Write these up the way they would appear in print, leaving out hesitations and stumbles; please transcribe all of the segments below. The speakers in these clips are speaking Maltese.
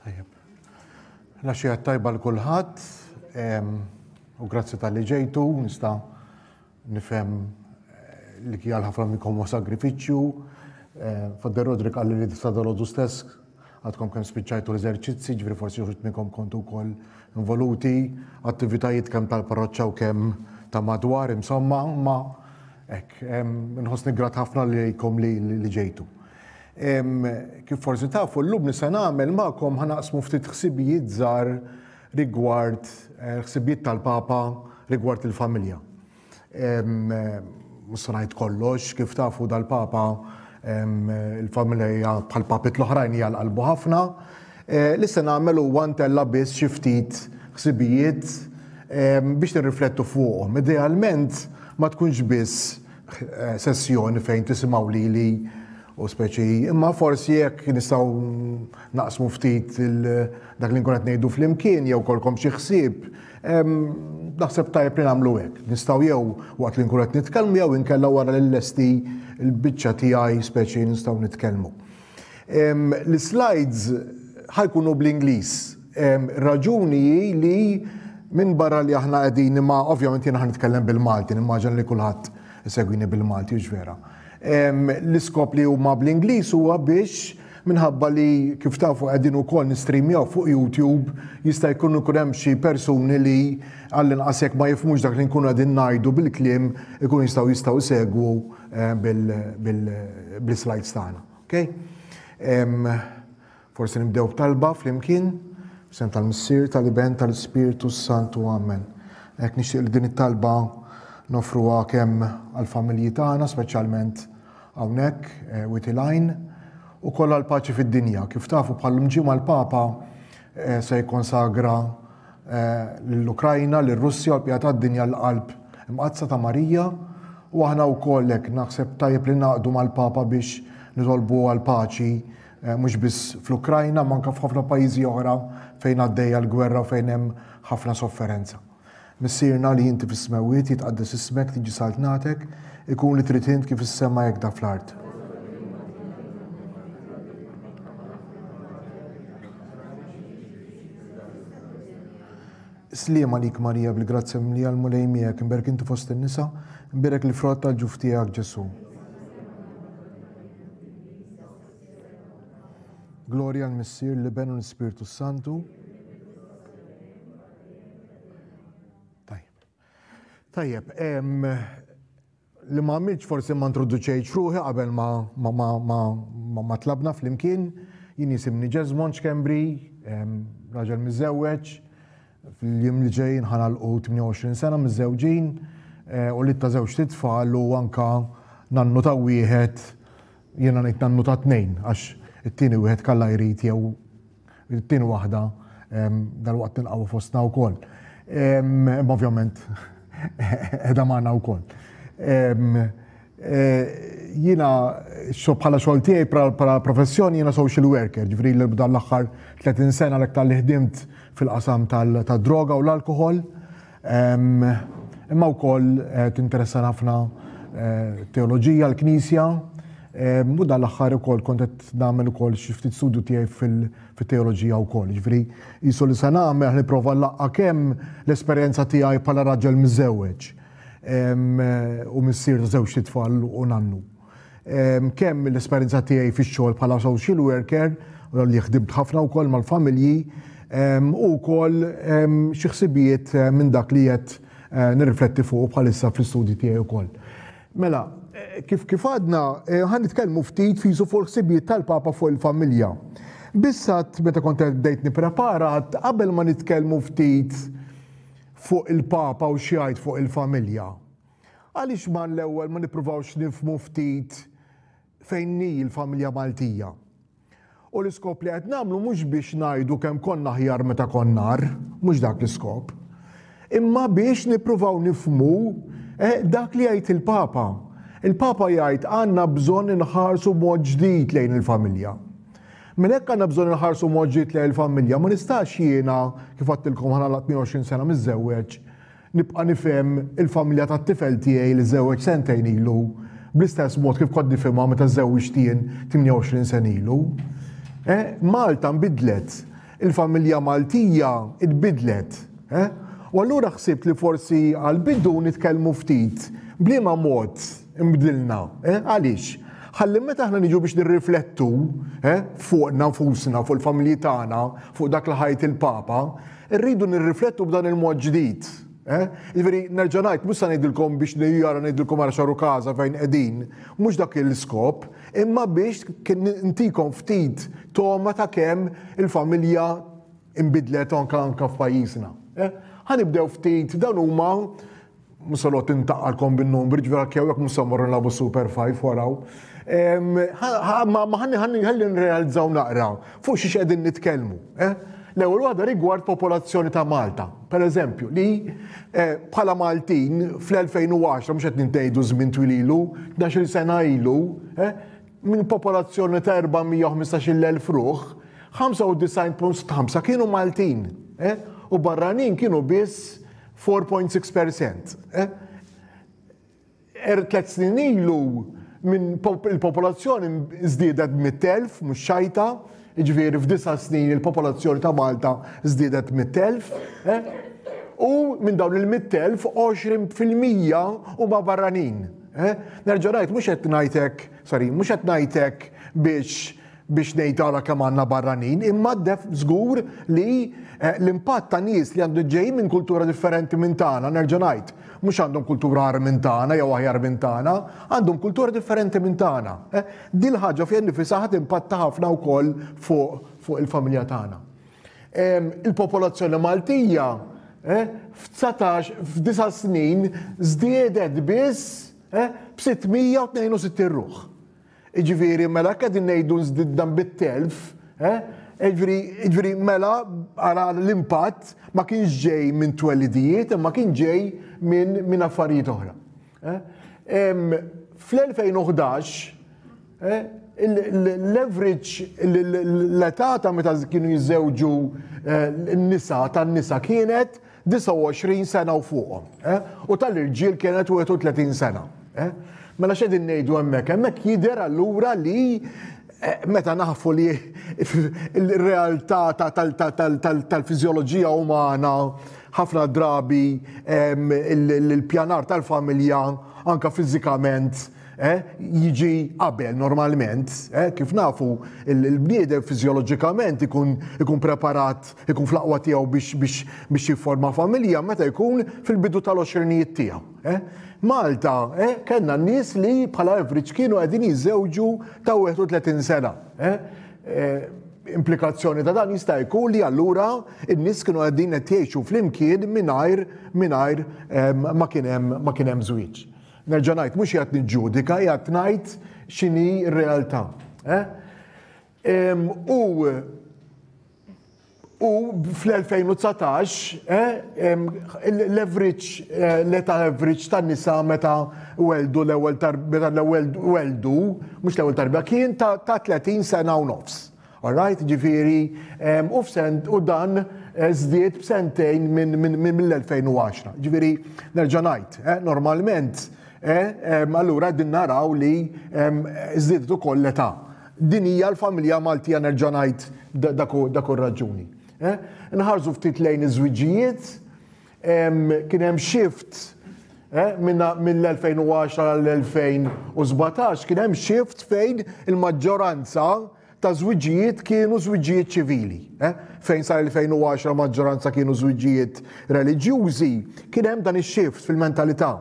Tajjeb. L-għaxija tajba l kulħadd u grazzi tal-li ġejtu, nista' nifhem eh, li kien ħafna minnkom huwa sagrifiċċju. Eh, Fadder Rodrik qalli li sa dalodu stess għadkom kemm spiċċajtu l-eżerċizzi, ġifieri forsi uħud minnkom kontu wkoll involuti, attivitajiet kemm tal-parroċċa u kemm ta' madwar, insomma, ma hekk, nħossni grat ħafna lejkom li ġejtu. Kif forsi tafu, llum li se nagħmel magħkom ħa naqsmu ftit ħsibijiet żgħar rigward eh, ħsibijiet tal-Papa rigward il-familja. Mhux se ngħid kollox, kif tafu dal-Papa il-familja hija bħal papit l-oħrajn hija l-qalbu ħafna. Eh, li se nagħmel huwa ntella biss xi ftit ħsibijiet biex nirriflettu fuqhom. Idealment ma tkunx biss eh, sessjoni fejn tisimgħu lili u speċi, imma forsi jekk nistgħu naqsmu ftit dak li nkun qed ngħidu flimkien jew kolkom xi ħsieb, naħseb tajjeb li nagħmlu hekk. Nistgħu jew waqt li nkun qed nitkellmu jew inkella wara li lesti l-biċċa tiegħi speċi nistgħu nitkellmu. L-slides ħajkunu bl-Ingliż. Raġuni hi li minn barra li aħna qegħdin imma ovvjament jiena ħa nitkellem bil-Malti, nimmaġina li kulħadd isegwini bil-Malti, hux vera. L-iskop li huma bl-Ingliż huwa biex minħabba li kif tafu qegħdin ukoll nistreamjaw fuq YouTube jista' jkun ikun hemm xi persuni li għall-inqas jekk ma jifhmux dak li nkunu qegħdin ngħidu bil-kliem ikunu jistgħu jistgħu jsegwu eh, bil-slides tagħna. Okay? Forsi nibdew b'talba flimkien, f'isem tal-Missier, tal-Iben, tal-Ispirtu s-Santu. Amen. Hekk nixtieq li din it-talba nofruha kemm għall-familji tagħna, speċjalment hawnhekk eh, Wied il-Għajn, u kollha l-paċi fid-dinja. Kif tafu bħallum ġimgħa l-Papa eh, se jikkonsagra eh, lill-Ukrajna, lir-Russja u l-bqija tad-dinja l-qalb imqaddsa ta' Marija u aħna wkoll hekk naħseb tajjeb li naqdu mal-Papa biex nitolbu għall-paċi Eh, mhux biss fl-Ukrajna, ma anke f'ħafna pajjiżi oħra fejn għaddejja l-gwerra u fejn hemm ħafna sofferenza. Missierna li inti fis-smewwiet jitqaddes ismek, tiġi saltnatek, ikun li trid int kif is-sema hekk da fl-art. Sliem għalik Marija bil-grazzja mimlija l-Mulej miegħek, imberk inti fost in-nisa, imbierek l-frott tal-ġuf tiegħek Ġesù. Glorja l-Missier, l-Iben u l-Ispirtu Santu. Tajjeb. Tajjeb, li ma għamilx forsi ma introduċejx ruħi qabel ma, ma, ma, ma, ma, ma tlabna flimkien, jien jisimni Jesmond Schembri, raġel miżżewweġ, Fil-jiem li ġejjin ħa nagħlqu 28 sena miżżewġin eh, u li ta' żewġt itfal u anka nannu ta' wieħed jiena ngħid nannu ta' tnejn għax it-tieni wieħed kalla jrid jew it-tieni waħda dal-waqt nilqgħu fostna wkoll. Imma ovvjament qiegħda magħna wkoll. Eh, jiena bħala xogħol tiegħi bħala professjoni jiena social worker, ġifieri li dan l-aħħar 30 sena l-aktar li ħdimt fil-qasam tad-droga u l-alkoħol. Imma wkoll eh, tinteressa ħafna eh, teoloġija, l-knisja, u dan l-aħħar ukoll kont qed nagħmel ukoll xi ftit studju tiegħi fil-teoloġija wkoll. Ġifieri qisu li se nagħmel nipprova nlaqqa' kemm l-esperjenza tiegħi bħala raġel miżżewweġ u missier ta' żewġt itfal u nannu. Kemm l-esperjenza tiegħi fix-xogħol bħala social worker, li ħdimt ħafna wkoll mal-familji, u wkoll xi ħsibijiet eh, minn dak li qed eh, nirrifletti fuq bħalissa fl-istudji tiegħi wkoll. Mela, eh, kif kif għadna, ħan nitkellmu ftit fisu fuq ħsibijiet tal-Papa fuq il-familja. Bissat meta kont bdejt nipprepara qabel ma nitkellmu ftit fuq il-Papa u x'jgħid fuq il-familja. Għaliex ma l-ewwel ma nippruvawx nifhmu ftit fejn hi l-familja Maltija? U l-iskop li qed nagħmlu mhux biex ngħidu kemm konna aħjar meta konna agħar, mhux dak l-iskop. Imma biex nippruvaw nifhmu eh, dak li jgħid il-Papa. Il-Papa jgħid għandna bżonn inħarsu mod ġdid lejn il-familja. Minn hekk għandna bżonn inħarsu mod ġdid lejn il-familja. Ma nistax jiena, kif għedtilkom ħa nagħlaq 28 sena miżżewweġ, nibqa' nifhem il-familja tat-tifel tiegħi li żżewweġ sentejn ilu bl-istess mod kif kont nifhimha meta żżewwiġt jien 28 sena ilu. Eh, Malta nbidlet. il-familja Maltija tbiddlet. Eh? U allura ħsibt li forsi għall-bidu nitkellmu ftit b'liema mod inbdilna. Eh? Għaliex? Ħalli meta aħna niġu biex nirriflettu eh, fuqna nfusna, fuq il-familji tagħna, fuq dak li ħajt il-Papa, irridu nirriflettu b'dan il-mod ġdid. Eh? Jiġifieri nerġa' ngħid mhux se ngħidilkom biex jara ngħidilkom ara xaru każa fejn qegħdin, mhux dak il-iskop, imma biex ntikom ftit togħma ta' kemm il-familja inbidlet anka anka f'pajjiżna. Eh? Ħa nibdew ftit dawn huma mhux se noqgħod intaqqalkom bin-numri, ġifieri anke hawnhekk mhux se mmorru nilagħbu Super 5 waraw. Ma ħalli ħalli nrealizzaw naqra fuq xiex qegħdin nitkellmu. Eh? L-ewwel waħda rigward popolazzjoni ta' Malta. Per eżempju, li eh, bħala Maltin fl-2010, mhux qed nintgħidu żmien twil ilu, 12 sena ilu, eh, minn popolazzjoni ta' 415,000 ruħ, 95.5 kienu Maltin eh, u barranin kienu biss 4.6%. Eh. 3 snin ilu minn il-popolazzjoni żdiedet b'100,000, mhux xajta, jiġifieri f'disa' snin il-popolazzjoni ta' Malta żdiedet b'100,000. Eh? U minn dawn il-100,000, 20% huma barranin. Eh? Nerġa' ngħid mhux qed ngħidlek, sorry, mhux qed ngħidlek biex biex ngħid ara kemm għandna barranin, imma def żgur li eh, l-impatt ta' nies li għandu ġej minn kultura differenti minn tagħna, nerġa' ngħid, mhux għandhom kultura agħar minn tagħna jew aħjar minn tagħna, għandhom kultura differenti minn tagħna. Eh, din ħaġa fiha nifisha ħadd impatta ħafna wkoll fuq fuq il-familja tagħna. Il-popolazzjoni Maltija eh, f'19 f'disa' snin żdiedet biss b'662 ruħ. Jiġifieri mela jekk qegħdin ngħidu nżdidna bit-telf, eh, jiġifieri jiġifieri mela ara l-impatt ma kienx ġej minn twelidijiet imma kien ġej minn minn affarijiet oħra. Eh? Fl-2011 eh, l-average l-età ta' meta kienu jiżżewġu eh, n-nisa tan-nisa kienet 29 sena u fuqhom, eh? U tal-irġiel kienet 31 sena. Eh? Mela x'qegħdin ngħidu hemmhekk? Hemmhekk jidher allura li eh, meta nafu li il-realtà tal-fiżjoloġija umana ħafna drabi il-pjanar tal-familja anka fiżikament eh, jiġi qabel normalment, eh, kif nafu il-bniedem fiżjoloġikament ikun, ikun preparat, ikun fl-aqwa tiegħu biex, biex, biex jifforma familja meta jkun fil-bidu tal-għoxrinijiet tiegħu. Eh. Malta, eh, kellna nies li bħala average kienu qegħdin jiżżewġu ta' 31 sena. Eh. Eh, implikazzjoni ta' dan jista' jkun li allura n-nies kienu qegħdin qed jgħixu flimkien mingħajr mingħajr eh, ma kien hemm ma kien hemm żwieġ. Nerġa' ngħid, mhux qiegħed niġġudika, qiegħed ngħid x'inhi r-realtà. Eh? U u fl-2019 eh, l-average, eh, l-età average tan-nisa meta weldu l-ewwel meta l-ewwel weldu, mhux l-ewwel tarbija, kien ta' 30 sena u nofs. Alright, ġifieri, u f'sent u dan eh, żdied b'sentejn minn mill-2010. Ġifieri, nerġa' ngħid, eh, normalment, eh, allura din naraw li żdiedet ukoll l-età. Din hija l-familja Maltija nerġa' ngħid dak raġuni. Nħarsu ftit lejn iż-żwiġijiet, kien hemm shift mill-2010 għall-2017 kien hemm shift fejn il-maġġoranza ta' żwiġijiet kienu żwiġijiet ċivili. Eh? Fejn sa 2010 maġġoranza kienu żwiġijiet reliġjużi, kien hemm dan ix-shift fil-mentalità.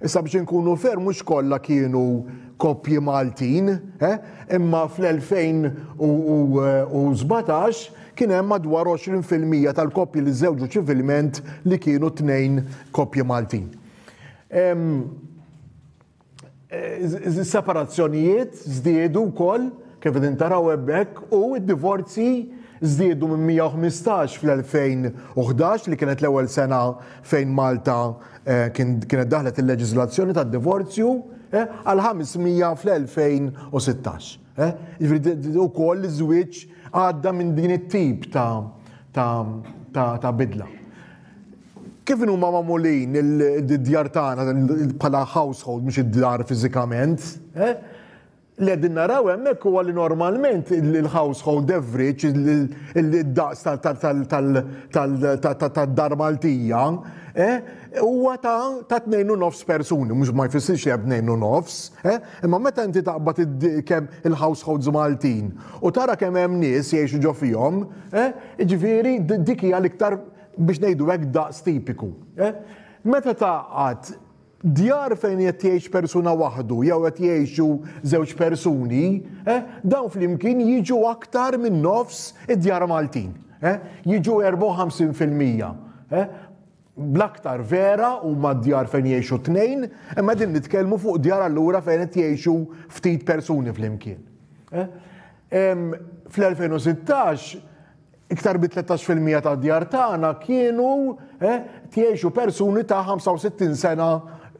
Issa biex inkunu fair mhux kollha kienu koppji Maltin, eh? imma fl-2017 kien hemm madwar 20% tal-koppji li żewġu ċivilment li kienu tnejn koppji Maltin. Separazzjonijiet żdiedu wkoll kif qegħdin taraw hemmhekk u d-divorzji żdiedu minn 115 fl-2011 li kienet l-ewwel sena fejn Malta eh, kienet daħlet il-leġiżlazzjoni tad-divorzju eh, għal 500 fl-2016. Eh? Jiġifieri ukoll iż-żwieġ għadda minn din it-tip ta' bidla. Kif inhuma magħmulin id-djar tagħna bħala household mhux id-dar fiżikament, eh? Li qegħdin naraw hemmhekk huwa li normalment il-household average, id-daqs tad-dar Maltija, huwa ta' 2.5 persuni, mhux ma jfissirx li hemm 2.5, imma meta inti taqbad kemm il-households Maltin u tara kemm hemm nies jgħixu ġo fihom, jiġifieri dik hija l-iktar biex ngħidu hekk daqs tipiku. Meta tgħaqqad Djar fejn qed jgħix persuna waħdu jew qed jgħixu żewġ persuni, dawn flimkien jiġu aktar minn nofs id-djar Maltin. Jiġu 54%. Bl-aktar vera huma d-djar fejn jgħixu tnejn, imma qegħdin nitkellmu fuq djar allura fejn qed jgħixu ftit persuni flimkien. Fl-2016 Iktar bi 13% tad-djar tagħna kienu tgħixu persuni ta' 65 sena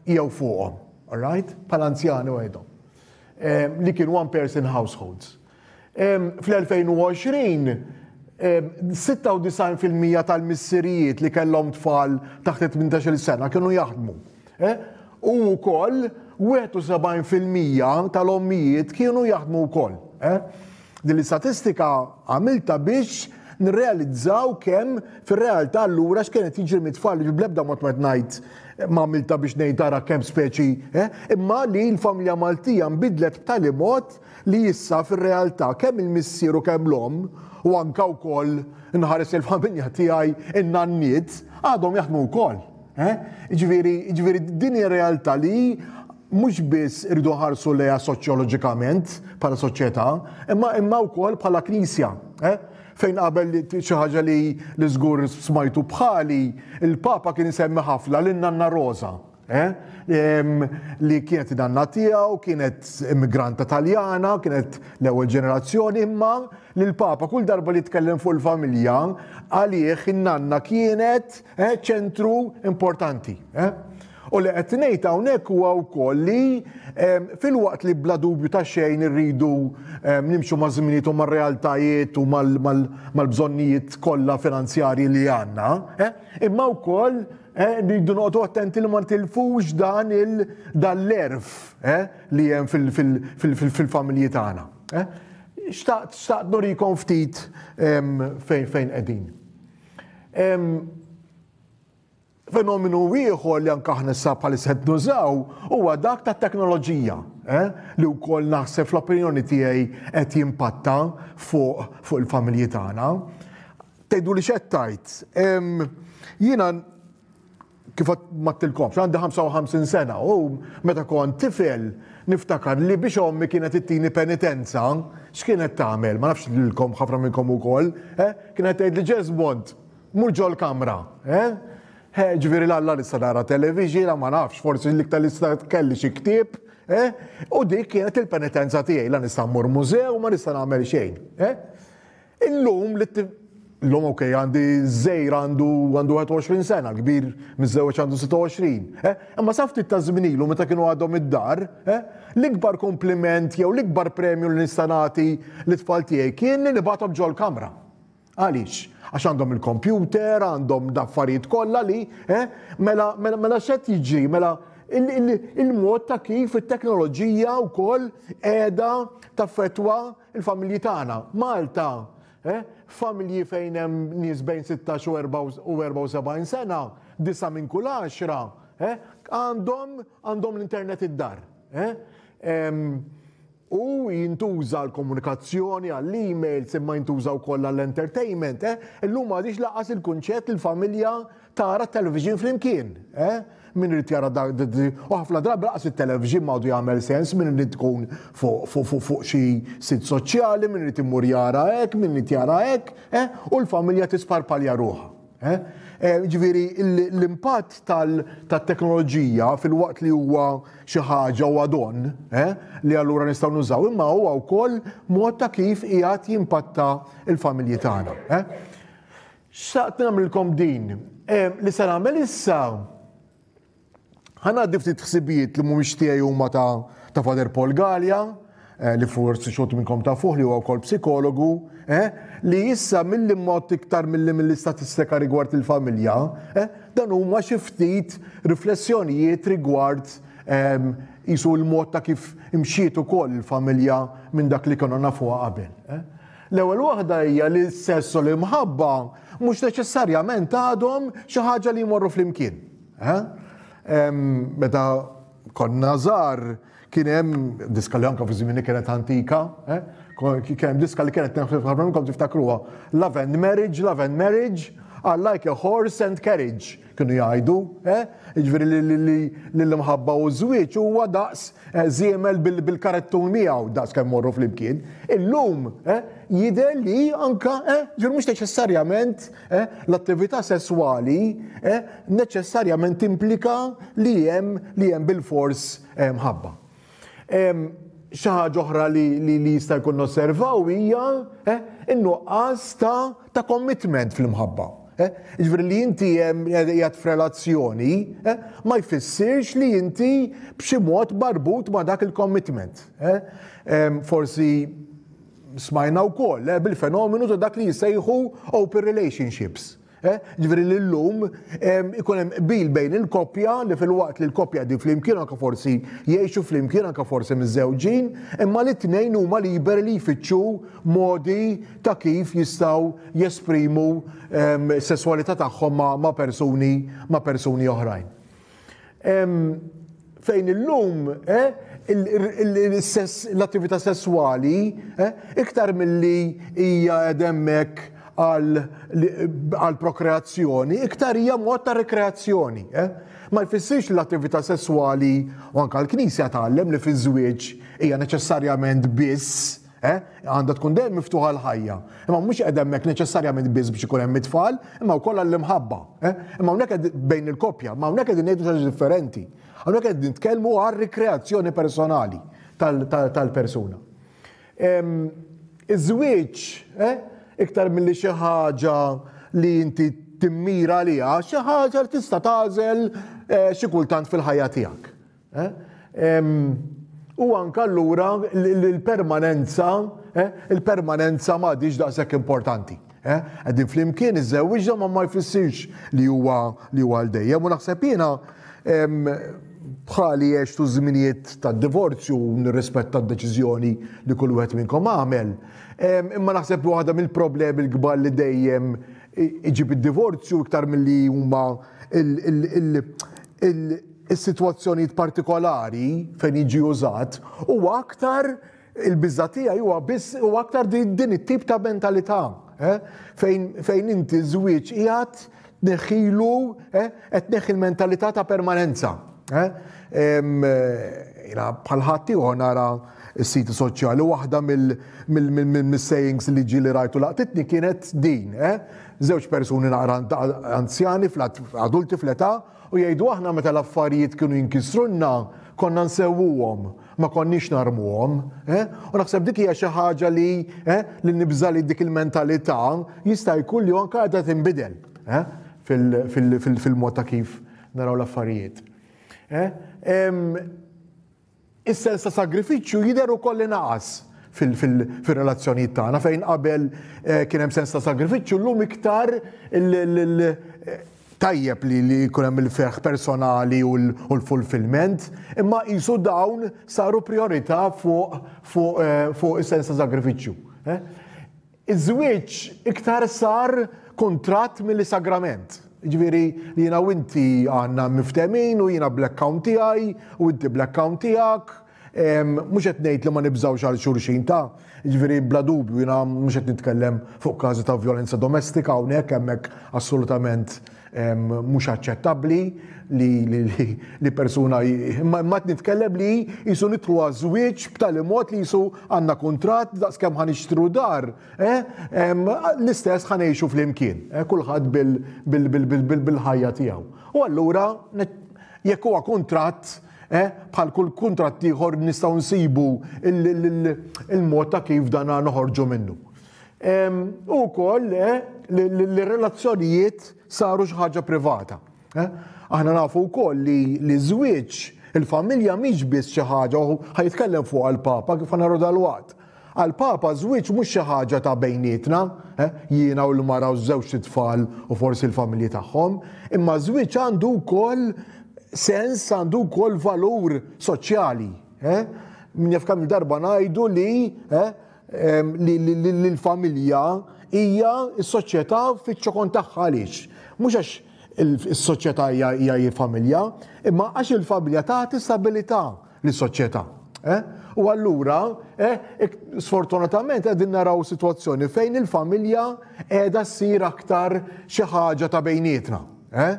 jew fuqhom. All right? Bħala anzjani għedhom. Li kienu one person households. Fl-2020 96% tal-missirijiet li kellhom tfal taħt 18 sena kienu jaħdmu. U wkoll 71% tal-ommijiet kienu jaħdmu wkoll. Din l-istatistika għamiltha biex nirrealizzaw kemm fir-realtà allura x'kien qed jiġri mit-tfal li bl-ebda mod ma qed ngħid ma għamiltha biex ngħid ara kemm speċi, eh, imma li l-familja Maltija nbidlet b'tali mod li issa fir-realtà kemm il-missier u kemm l-omm u anka wkoll nħares il-familja tiegħi in-nanniet għadhom jaħdmu wkoll. Eh? Ġifieri, ġifieri din hija realtà li mhux biss irridu nħarsu lejha soċjoloġikament bħala soċjetà, imma imma wkoll bħala knisja. Eh? Fejn qabel xi ħaġa li li żgur smajtu bħali, il-Papa kien isemmi ħafna lin nanna Rosa. Eh? Li kienet nanna tiegħu, kienet immigranta Taljana, kienet l-ewwel ġenerazzjoni, imma li l-Papa kull darba li tkellem fuq il-familja, għalih in-nanna kienet Eh, ċentru importanti. Eh? U li qed ngħid hawnhekk huwa wkoll li ehm, filwaqt li bla dubju ta' xejn irridu ehm, nimxu ma' żminijiet u mar-realtajiet u mal-bżonnijiet kollha finanzjarji li għandna, eh, imma wkoll eh, rridu noqogħdu attenti li ma ntilfux dan l-erf eh, li hemm fil-familji tagħna. Xtaqt xtaqt nurikom ftit ehm, fejn fejn qegħdin. Fenomenu ieħor li anke aħna issa bħalissa qed nużaw huwa dak tat-teknoloġija, eh, li wkoll naħseb fl-opinjoni tiegħi qed jimpatta fuq fuq il-familji tagħna. Tgħidu li x'qed tgħid? Jiena kif m'għedtilkomx, għandi 55 sena u meta kont tifel niftakar li biex ommi kienet ittini penitenza, x'kienet tagħmel? Ma nafx lilkom ħafna minnkom ukoll, eh? Kienet tgħid li Jesmond, mur ġol-kamra, eh? Eh, ġifieri l-alla nista' nara television, ma nafx, forsi l-iktar li nista' kelli xi ktieb, eh? U dik kienet il-penitenza tiegħi, la nista' mmur mużew, ma nista' nagħmel xejn, eh? Illum li Illum ok, għandi żgħir għandu għandu 21 sena, kbir miżżewweġ għandu 26. Eh? Imma sa ftit ta' żmien ilu meta kienu għadhom id-dar, eh? l-ikbar kompliment jew l-ikbar premju li nista' nagħti lit-tfal tiegħi kien li nibgħathom ġol-kamra. Għaliex? Għax għandhom il-kompjuter, għandhom d-affarijiet kollha li, eh? mela, mela, mela x'qed jiġri, mela il-mod ta' kif it-teknoloġija wkoll qiegħda taffettwa il-familji tagħna. Malta, eh, familji fejn hemm nies bejn 16 u 74 sena, disa' minn kull għaxra, eh, għandhom għandhom l-internet id-dar. Eh? U jintuża l-komunikazzjoni għall-emails imma jintuża wkoll għall-entertainment. Eh? Illum m'għadix laqas il-kunċett il-familja tara television flimkien. Eh? Min irid jara dak u ħafna drabi laqas it-television m'għadu jagħmel sens min irid tkun fuq xi sit soċjali, min irid imur jara hekk, min irid jara hekk, eh? u l-familja tisparpalja ruħha. Eh? Eh, ġifieri l-impatt tat-teknoloġija filwaqt li huwa xi ħaġa u don li allura nistgħu nużaw, imma huwa wkoll mod ta' kif qiegħed jimpatta l-familji tagħna. Xtaqt nagħmlilkom din. Li se nagħmel issa ħa ngħaddi ftit ħsibijiet li mhumiex tiegħi huma ta' ta' Father Paul Galea, eh, li forsi xogħol minnkom ta' fuq li huwa wkoll psikologu, eh, li issa milli mod iktar milli mill-istatistika rigward il-familja, eh, dan huma xi ftit riflessjonijiet rigward Qisu l-mod ta' kif imxiet ukoll il-familja minn dak li konna nafuha qabel. L-ewwel waħda hija li s-sess u l-imħabba mhux neċessarjament għadhom xi ħaġa li jmorru flimkien. Meta konna żgħar kien hemm diska li anke fi żmieni kienet antika, kien hemm diska li kienet ħafna minnkom tiftakruha, Love and Marriage, Love and Marriage, are like a horse and carriage. Kienu jgħidu, eh? Jiġifieri li l-imħabba u ż-żwieġ huwa daqs eh, żiemel bil-karettun miegħu daqs kemm morru flimkien. Illum eh, jidher li anka eh, ġifieri mhux neċessarjament eh, l-attività sesswali eh, neċessarjament timplika li hemm li hemm bil-fors eh, mħabba. Xi ħaġa oħra li, li, li jista' jkun nosservaw hija eh, in-nuqqas ta', ta' commitment fl-imħabba. Eh? Jiġifieri li inti hemm qiegħed f'relazzjoni eh, ma jfissirx li inti b'xi mod marbut ma' dak il-commitment. Eh? Forsi smajna wkoll eh, bil-fenomenu ta' dak li jissejħu open relationships. Eh, ġifieri li llum ikun hemm qbil bejn il-koppja li filwaqt li l-koppja qegħdin flimkien anke forsi jgħixu flimkien anke forsi miżżewġin, imma li t-tnejn huma liberi li jfittxu modi ta' kif jistgħu jesprimu s-sesswalità tagħhom ma' persuni ma' persuni oħrajn. Fejn illum eh, l-attività sesswali eh, iktar milli hija hemmhekk għal prokreazzjoni, iktar hija mod ta' rekreazzjoni. Eh. Ma jfissirx l-attività sesswali u anka l-Knisja tgħallem li fiż-żwieġ hija neċessarjament biss Eh? Għandha tkun dejjem miftuħa l-ħajja. Imma mhux qed hemmhekk neċessarjament biss biex ikun hemm it-tfal, imma wkoll għall-imħabba. Eh? Imma hawnhekk bejn il-koppja, ma hawnhekk qegħdin ngħidu xi differenti. Hawnhekk qed nitkellmu għal rikreazzjoni personali tal-persuna. Iż-żwieġ, eh, iktar milli xi ħaġa li inti timmira għaliha, xi ħaġa li tista' tagħżel xi kultant fil-ħajja tiegħek. Eh? U anke allura l-permanenza, eh, il-permanenza m'għadhiex daqshekk importanti. Eh? Qegħdin flimkien iżżewwiġna ma ma jfissirx li huwa li huwa għal dejjem u naħseb jiena bħali għextu żminijiet ta' divorzju u nirrispetta d-deċiżjoni li kull wieħed minnkom għamel. Imma naħseb li waħda mill-problemi l-kbar li dejjem iġib id-divorzju iktar milli huma is-sitwazzjonijiet partikolari fejn jiġi użat huwa aktar il-biża' tiegħi huwa biss huwa aktar din it-tip ta' mentalità eh? fejn, fejn inti żwieġ qiegħed tneħħilu eh? qed tneħħi l-mentalità ta' permanenza. Eh? Jiena bħal ħadd ieħor nara s-siti soċjali waħda mill-sayings li ġieli rajtu laqtitni kienet din. Eh? Żewġ persuni naqra anzjani, adulti fl-età, U jgħidu aħna meta l-affarijiet kienu jinkisrulna konna nsewwuhom, ma konniex narmuhom. Eh? U naħseb dik hija xi ħaġa li eh, li nibża li dik il-mentalità jista' jkun li anke qiegħda tinbidel eh, fil-mod ta' kif naraw l-affarijiet. Eh? Is-sens ta' sagrifiċċju jidher ukoll li naqas fil-relazzjonijiet tagħna fejn qabel eh, kien hemm sens ta' sagrifiċċju llum iktar tajjeb li li jkun hemm il-ferħ personali u l-fulfillment, imma qisu dawn saru priorità fuq fuq eh, fuq is-sens ta' sagrifiċċju. Eh? Iż-żwieġ iktar sar kuntratt milli sagrament. Jiġifieri li jiena u inti għandna miftehmin u jiena bl-account tiegħi u inti bl-account tiegħek. Mhux qed ngħid li ma nibżgħux għal xulxin ta'. Jiġifieri bla dubju jiena mhux qed nitkellem fuq każi ta' vjolenza domestika hawnhekk hemmhekk assolutament mhux aċċettabbli li, li, li, li persuna imma imma qed nitkellem li jisu nidħlu għaż-żwieġ b'tali mod li jisu għandna kuntratt daqskemm ħa nixtru dar, eh, l-istess ħa ngħixu flimkien, eh, kulħadd bil-ħajja tiegħu. U allura jekk huwa kuntratt eh, bħal kull kuntratt ieħor nistgħu nsibu il-mod ta' kif dan noħorġu minnu. U wkoll eh, li relazzjonijiet saru xi ħaġa privata. Eh? Aħna nafu wkoll li li żwieġ il-familja mhix biss xi ħaġa u ħajtkellem fuq għall-Papa kif naraw dalwaqt. Għall-Papa żwieġ mhux xi ħaġa ta' bejnietna, eh, jiena u l-mara u żewġ tfal u forsi l-familji tagħhom, imma żwieġ għandu wkoll sens għandu wkoll valur soċjali. Eh? Min jaf kemm darba ngħidu li eh, li l-familja hija s-soċjetà fiċ-ċokon tagħha għaliex. Mhux għax is-soċjetà hija familja, imma għax il-familja tagħti stabilità lis-soċjetà. Eh? U allura, eh, sfortunatament qegħdin naraw sitwazzjoni fejn il-familja qiegħda ssir aktar xi ħaġa ta' bejnietna. Eh?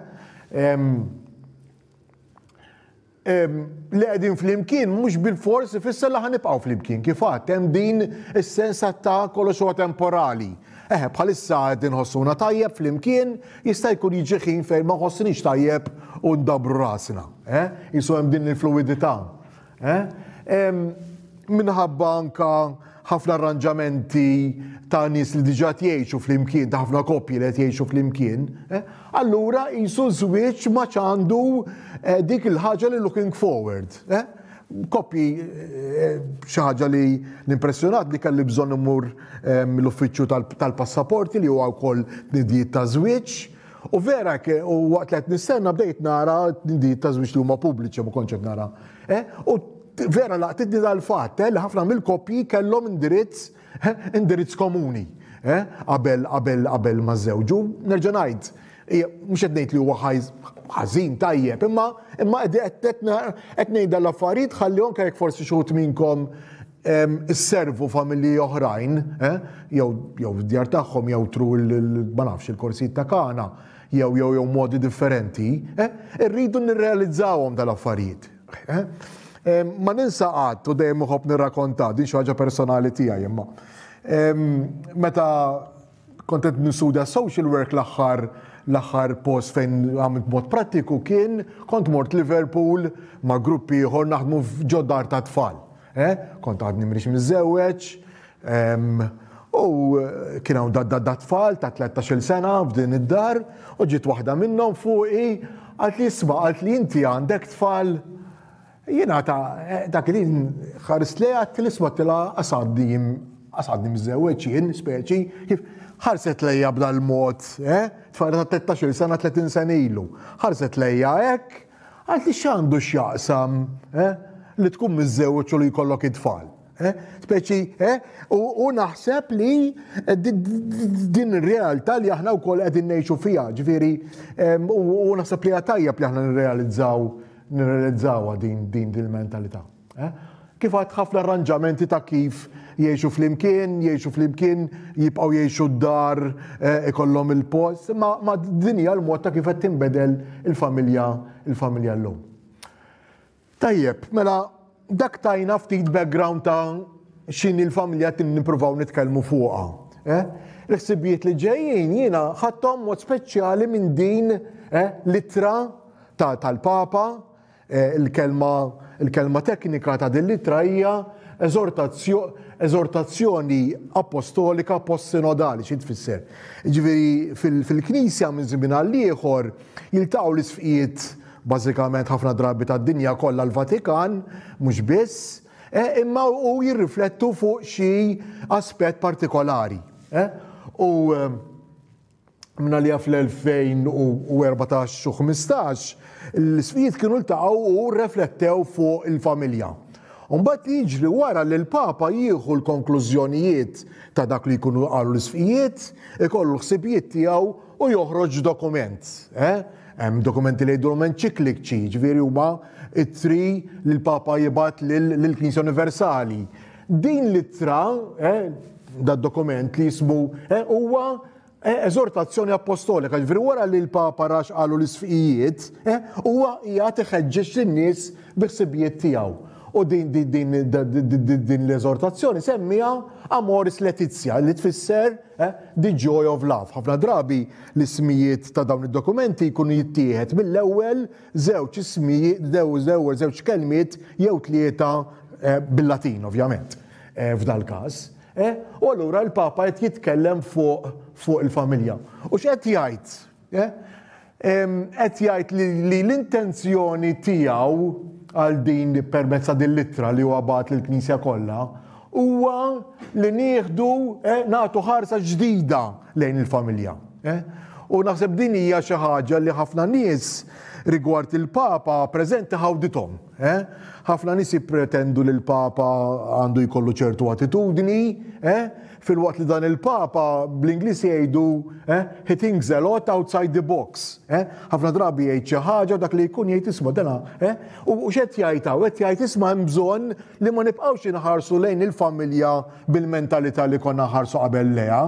Li qegħdin flimkien mhux bilfors ifisser li ħanibqgħu flimkien. Kif għadt hemm din is-sens ta' kollox huwa temporali. Eħe, bħalissa qed inħossuna tajjeb flimkien, jista' jkun jiġi ħin fejn ma nħossinix tajjeb u ndabru rasna. Eh? Jisu hemm din il-fluidità. Eh? Minħabba anka ħafna arranġamenti ta' nies li diġà jgħixu flimkien, ta' ħafna koppji li qed jgħixu flimkien, eh? allura jisu żwieġ ma għandu eh, dik il-ħaġa li looking forward. Eh? Koppji xi ħaġa li l-impressjonat li kelli bżonn imur l-uffiċċju tal-passaporti li huwa wkoll tnidijiet ta' żwieġ. U vera u waqt li qed nistenna bdejt nara tnidijiet ta' żwieġ li huma pubbliċi ma kontx qed nara. U vera laqtitni dal-fatt eh, li ħafna mill-koppji kellhom indirizz eh, indirizz komuni eh, qabel qabel qabel ma żewġu. Nerġa' ngħid, mhux qed ngħid li huwa ħażin tajjeb, imma imma qed ngħid l-affarijiet ħalli anke jekk forsi xi wħud minnkom isservu familji oħrajn, jew jew djar tagħhom jew tru ma nafx il-korsijiet ta' kana, jew jew jew modi differenti, irridu nirrealizzawhom dal-affarijiet. Eh? Ma ninsa qatt u dejjem uħobb nirrakonta din xi ħaġa personali tiegħi imma. Meta kont qed nistudja social work l-aħħar l-aħħar post fejn għamilt mod prattiku kien kont mort Liverpool ma' gruppi ieħor naħdmu f'ġoddar ta' tfal. Eh? Kont għadni mrix miżżewweġ, u kien hawn da tfal ta' 13-il sena f'din id-dar u ġiet waħda minnhom fuqi għalt li isma' għalt li inti għandek tfal. Jiena ta' dak li ħarist lejha għedt li isma' tilha qasadni qasadni miżżewweġ jien speċi kif ħarset lejja b'dal-mod, eh? Tfajla ta' 13-il sena 30 sena ilu. Ħarset lejja hekk għalt li x'għandu x'jaqsam, eh? Li tkun miżżewweġ u li jkollok it-tfal. Eh? Speċi, eh? U naħseb li eh, din ir-realtà li aħna wkoll qegħdin ngħixu fiha, ġifieri, u naħseb li tajjeb li aħna nirrealizzaw nirrealizzawha din din din il-mentalità. Eh? Kif għad ħafna arranġamenti ta' kif jgħixu flimkien, jgħixu flimkien, jibqgħu jgħixu d-dar, ikollhom il-post, ma, ma din hija l-mod ta' kif qed tinbedel il-familja il-familja llum. Tajjeb, mela dak tajna ftit background ta' x'inhi l-familja qed nippruvaw nitkellmu fuqha. Eh? Il-ħsibijiet li ġejjin jiena ħadthom mod speċjali minn din eh, l-ittra tal-Papa, eh, il-kelma il-kelma teknika ta' din l-ittra hija eżortazzjoni apostolika post-sinodali, xi tfisser? Ġifieri fil-Knisja minn żmien għal ieħor jiltaqgħu l-isfqijiet bażikament ħafna drabi tad-dinja kollha l-Vatikan, mhux biss, eh, imma u jirriflettu fuq xi aspett partikolari. Eh? U eh, minna li fl-2014 u 15 l-isfijiet kienu ltaqgħu u rreflettew fuq il-familja. Mbagħad jiġri wara li l-Papa jieħu l-konklużjonijiet ta' dak li jkunu qalu l-isfijiet, ikollu l-ħsibijiet tiegħu u joħroġ dokument. Eh? Hemm dokumenti li jgħidulhom enċiklikċi, jiġifieri huma ittri li l-Papa jibgħat lill-Knisja Universali. Din l-ittra, eh, da dokument li jismu eh, huwa eh, eżortazzjoni apostolika, ġifieri wara li l-Papa rax qalu l-isfiqijiet, eh, huwa qiegħed iħeġġeġ lin-nies bi ħsibijiet tiegħu. U din din din din l-eżortazzjoni semmija Amoris Laetitia li tfisser eh, The Joy of Love. Ħafna drabi l-ismijiet ta' dawn id-dokumenti jkunu jittieħed mill-ewwel żewġ ismijiet, l-ewwel żewġ kelmiet jew tlieta eh, bil-Latin ovvjament eh, f'dal-każ. U allura l-Papa qed jitkellem fuq fuq il-familja. U x'qed jgħid? Qed jgħid li l-intenzjoni tiegħu għal din permezz ta' din l-ittra li huwa bagħat lill-Knisja kollha huwa li nieħdu eh, nagħtu ħarsa ġdida lejn il-familja. Eh. U naħseb din hija xi ħaġa li ħafna nies Rigward il-Papa preżenti ħawdithom. Eh? Ħafna nies jippretendu li l-Papa għandu jkollu ċertu attitudni, eh? filwaqt li dan il-Papa bl-Ingliż jgħidu eh? he thinks a lot outside the box. Eh? Ħafna drabi jgħid xi ħaġa dak li jkun jgħid isma' dana, eh? U x'qed jgħid hawn? Qed jgħid isma' hemm bżonn li ma nibqgħux inħarsu lejn il-familja bil-mentalità li konna nħarsu qabel lejha.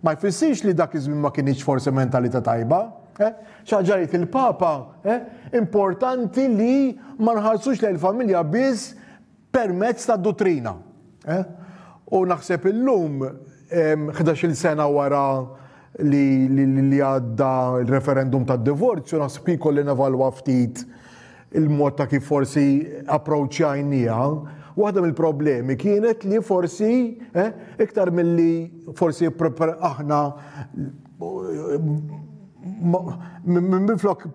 Ma jfissirx li dak iż-żmien ma kinitx forsi mentalità tajba. Eh? Xi ħaġa jgħid il-Papa, eh? importanti li ma nħarsux lejn il-familja biss permezz ta' dottrina. Eh? U naħseb illum 11-il sena wara li, li, li għadda il-referendum tad divorzju naħseb jkolli nevalwa ftit il-mod ta' kif forsi approachjajnieha. Waħda mill-problemi kienet li forsi eh, iktar milli forsi aħna minflok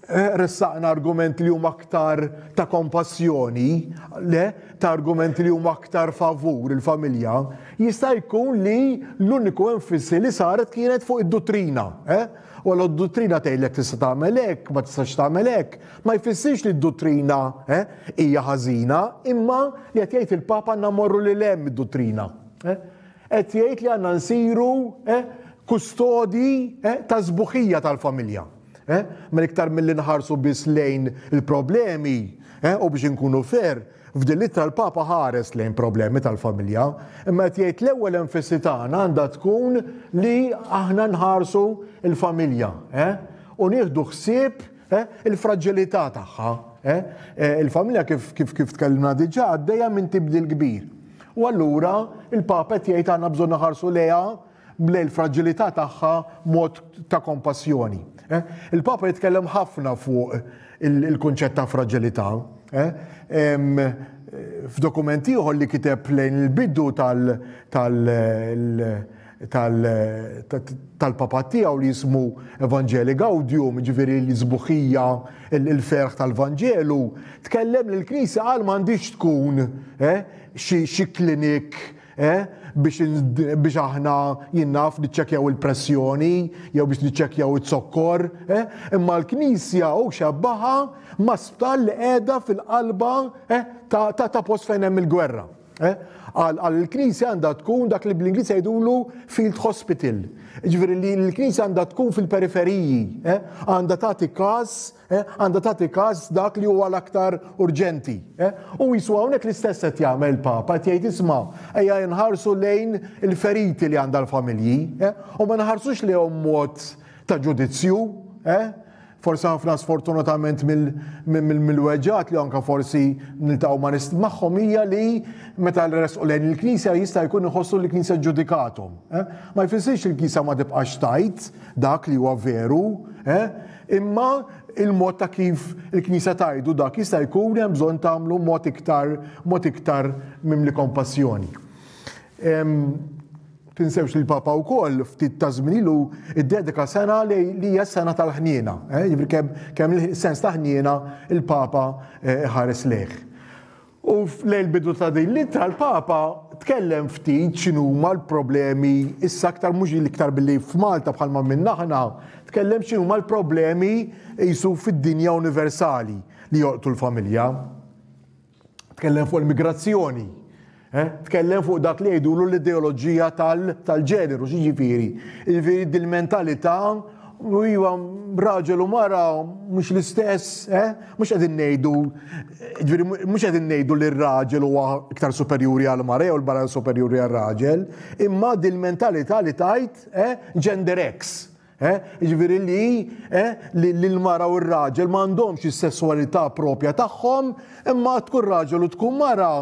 eh, ressaqna argumenti li huma aktar ta' kompassjoni, le, ta' argumenti li huma aktar favur il-familja, jista' jkun li l-uniku enfisi li saret kienet fuq id-dottrina. Eh? U għal d-dottrina tgħidlek tista' tagħmel hekk, ma tistax tagħmel hekk, ma jfissirx li d-dottrina eh, hija ħażina, imma li qed jgħid il-Papa għandna morru lil hemm id-dottrina. Eh? Qed jgħid li għandna nsiru eh, kustodi eh, ta' sbuħija tal-familja. Eh? Mela iktar milli nħarsu biss lejn il-problemi eh, u biex inkunu fair, f'din l-ittra l-Papa ħares lejn problemi tal-familja, imma qed jgħid l-ewwel enfasi tagħna għandha tkun li aħna nħarsu l-familja eh? u nieħdu ħsieb eh, il-fraġilità tagħha. Eh? Eh, il-familja kif kif kif tkellimna diġà għaddejja minn tibdil kbir. U allura il-Papa qed jgħid għandna bżonn naħarsu lejha lejn il-fraġilità tagħha mod ta' kompassjoni. Eh? Il-Papa jitkellem ħafna fuq il-kunċett ta' fraġilità. Eh? F'dokument ieħor li kiteb lejn il-bidu tal- tal-papat tiegħu li jismu Evangelii Gaudium, ġifieri l-sbuħija, il-ferħ tal-Vanġelu, tkellem li l-Knisja qal m'għandix tkun eh, xi klinik eh, biex aħna jien naf niċċekkjaw il-pressjoni jew biex niċċekkjaw it-zokkor, eh, imma l-Knisja u xebbaha ma' sptar li qiegħda fil-qalba ta' post fejn hemm il-gwerra. Qal il-Knisja għandha tkun dak li bl-Ingliż jgħidulu field hospital. Ġifieri li l-Knisja għandha tkun fil-periferiji, għandha tagħti każ, għandha tagħti każ dak li huwa l-aktar urġenti. U jisu hawnhekk l-istess qed jagħmel il-Papa, qed jgħid isma' ejja nħarsu lejn il-feriti li għandha l-familji, u ma nħarsux lejhom mod ta' ġudizzju, Forsi ħafna sfortunatament mill-weġgħat li anka forsi niltaqgħu ma' nies magħhom hija li meta resqu lejn il-Knisja jista' jkun iħossu li l-Knisja ġġudikathom. Eh? Ma jfissirx li l-Knisja ma tibqax tgħid dak li huwa veru, eh? imma il-mod ta' kif il-Knisja tgħidu dak jista' jkun hemm bżonn tagħmlu mod iktar mod iktar mimli kompassjoni. Tinsewx li l-Papa wkoll ftit ta' żmien ilu iddedika sena li hija s-sena tal-ħniena. Eh? Jiġifieri kemm kemm il-sens ta' ħniena il-Papa eh, ħares lejh. U lejn il-bidu ta' din l-ittra l-Papa tkellem ftit x'inhuma l-problemi issa aktar mhux l-iktar billi f'Malta bħalma minna aħna, tkellem x'inhuma l-problemi jisu fid-dinja universali li jolqtu l-familja. Tkellem fuq il-migrazzjoni. Eh? Tkellem fuq dak li jgħidulu l-ideoloġija tal-ġeneru, x'jiġifieri? Jiġifieri dil-mentalità u iva raġel u mara mhux l-istess, eh? Mhux qegħdin ngħidu, ġifieri mhux qegħdin ngħidu li r-raġel huwa iktar superjuri għal mara jew l-mara superjuri għal raġel, imma dil-mentalità li tajt eh, gender X. Eh? Jiġifieri li, eh, li l-mara u r-raġel m'għandhomx is-sesswalità propja tagħhom, imma tkun raġel u tkun mara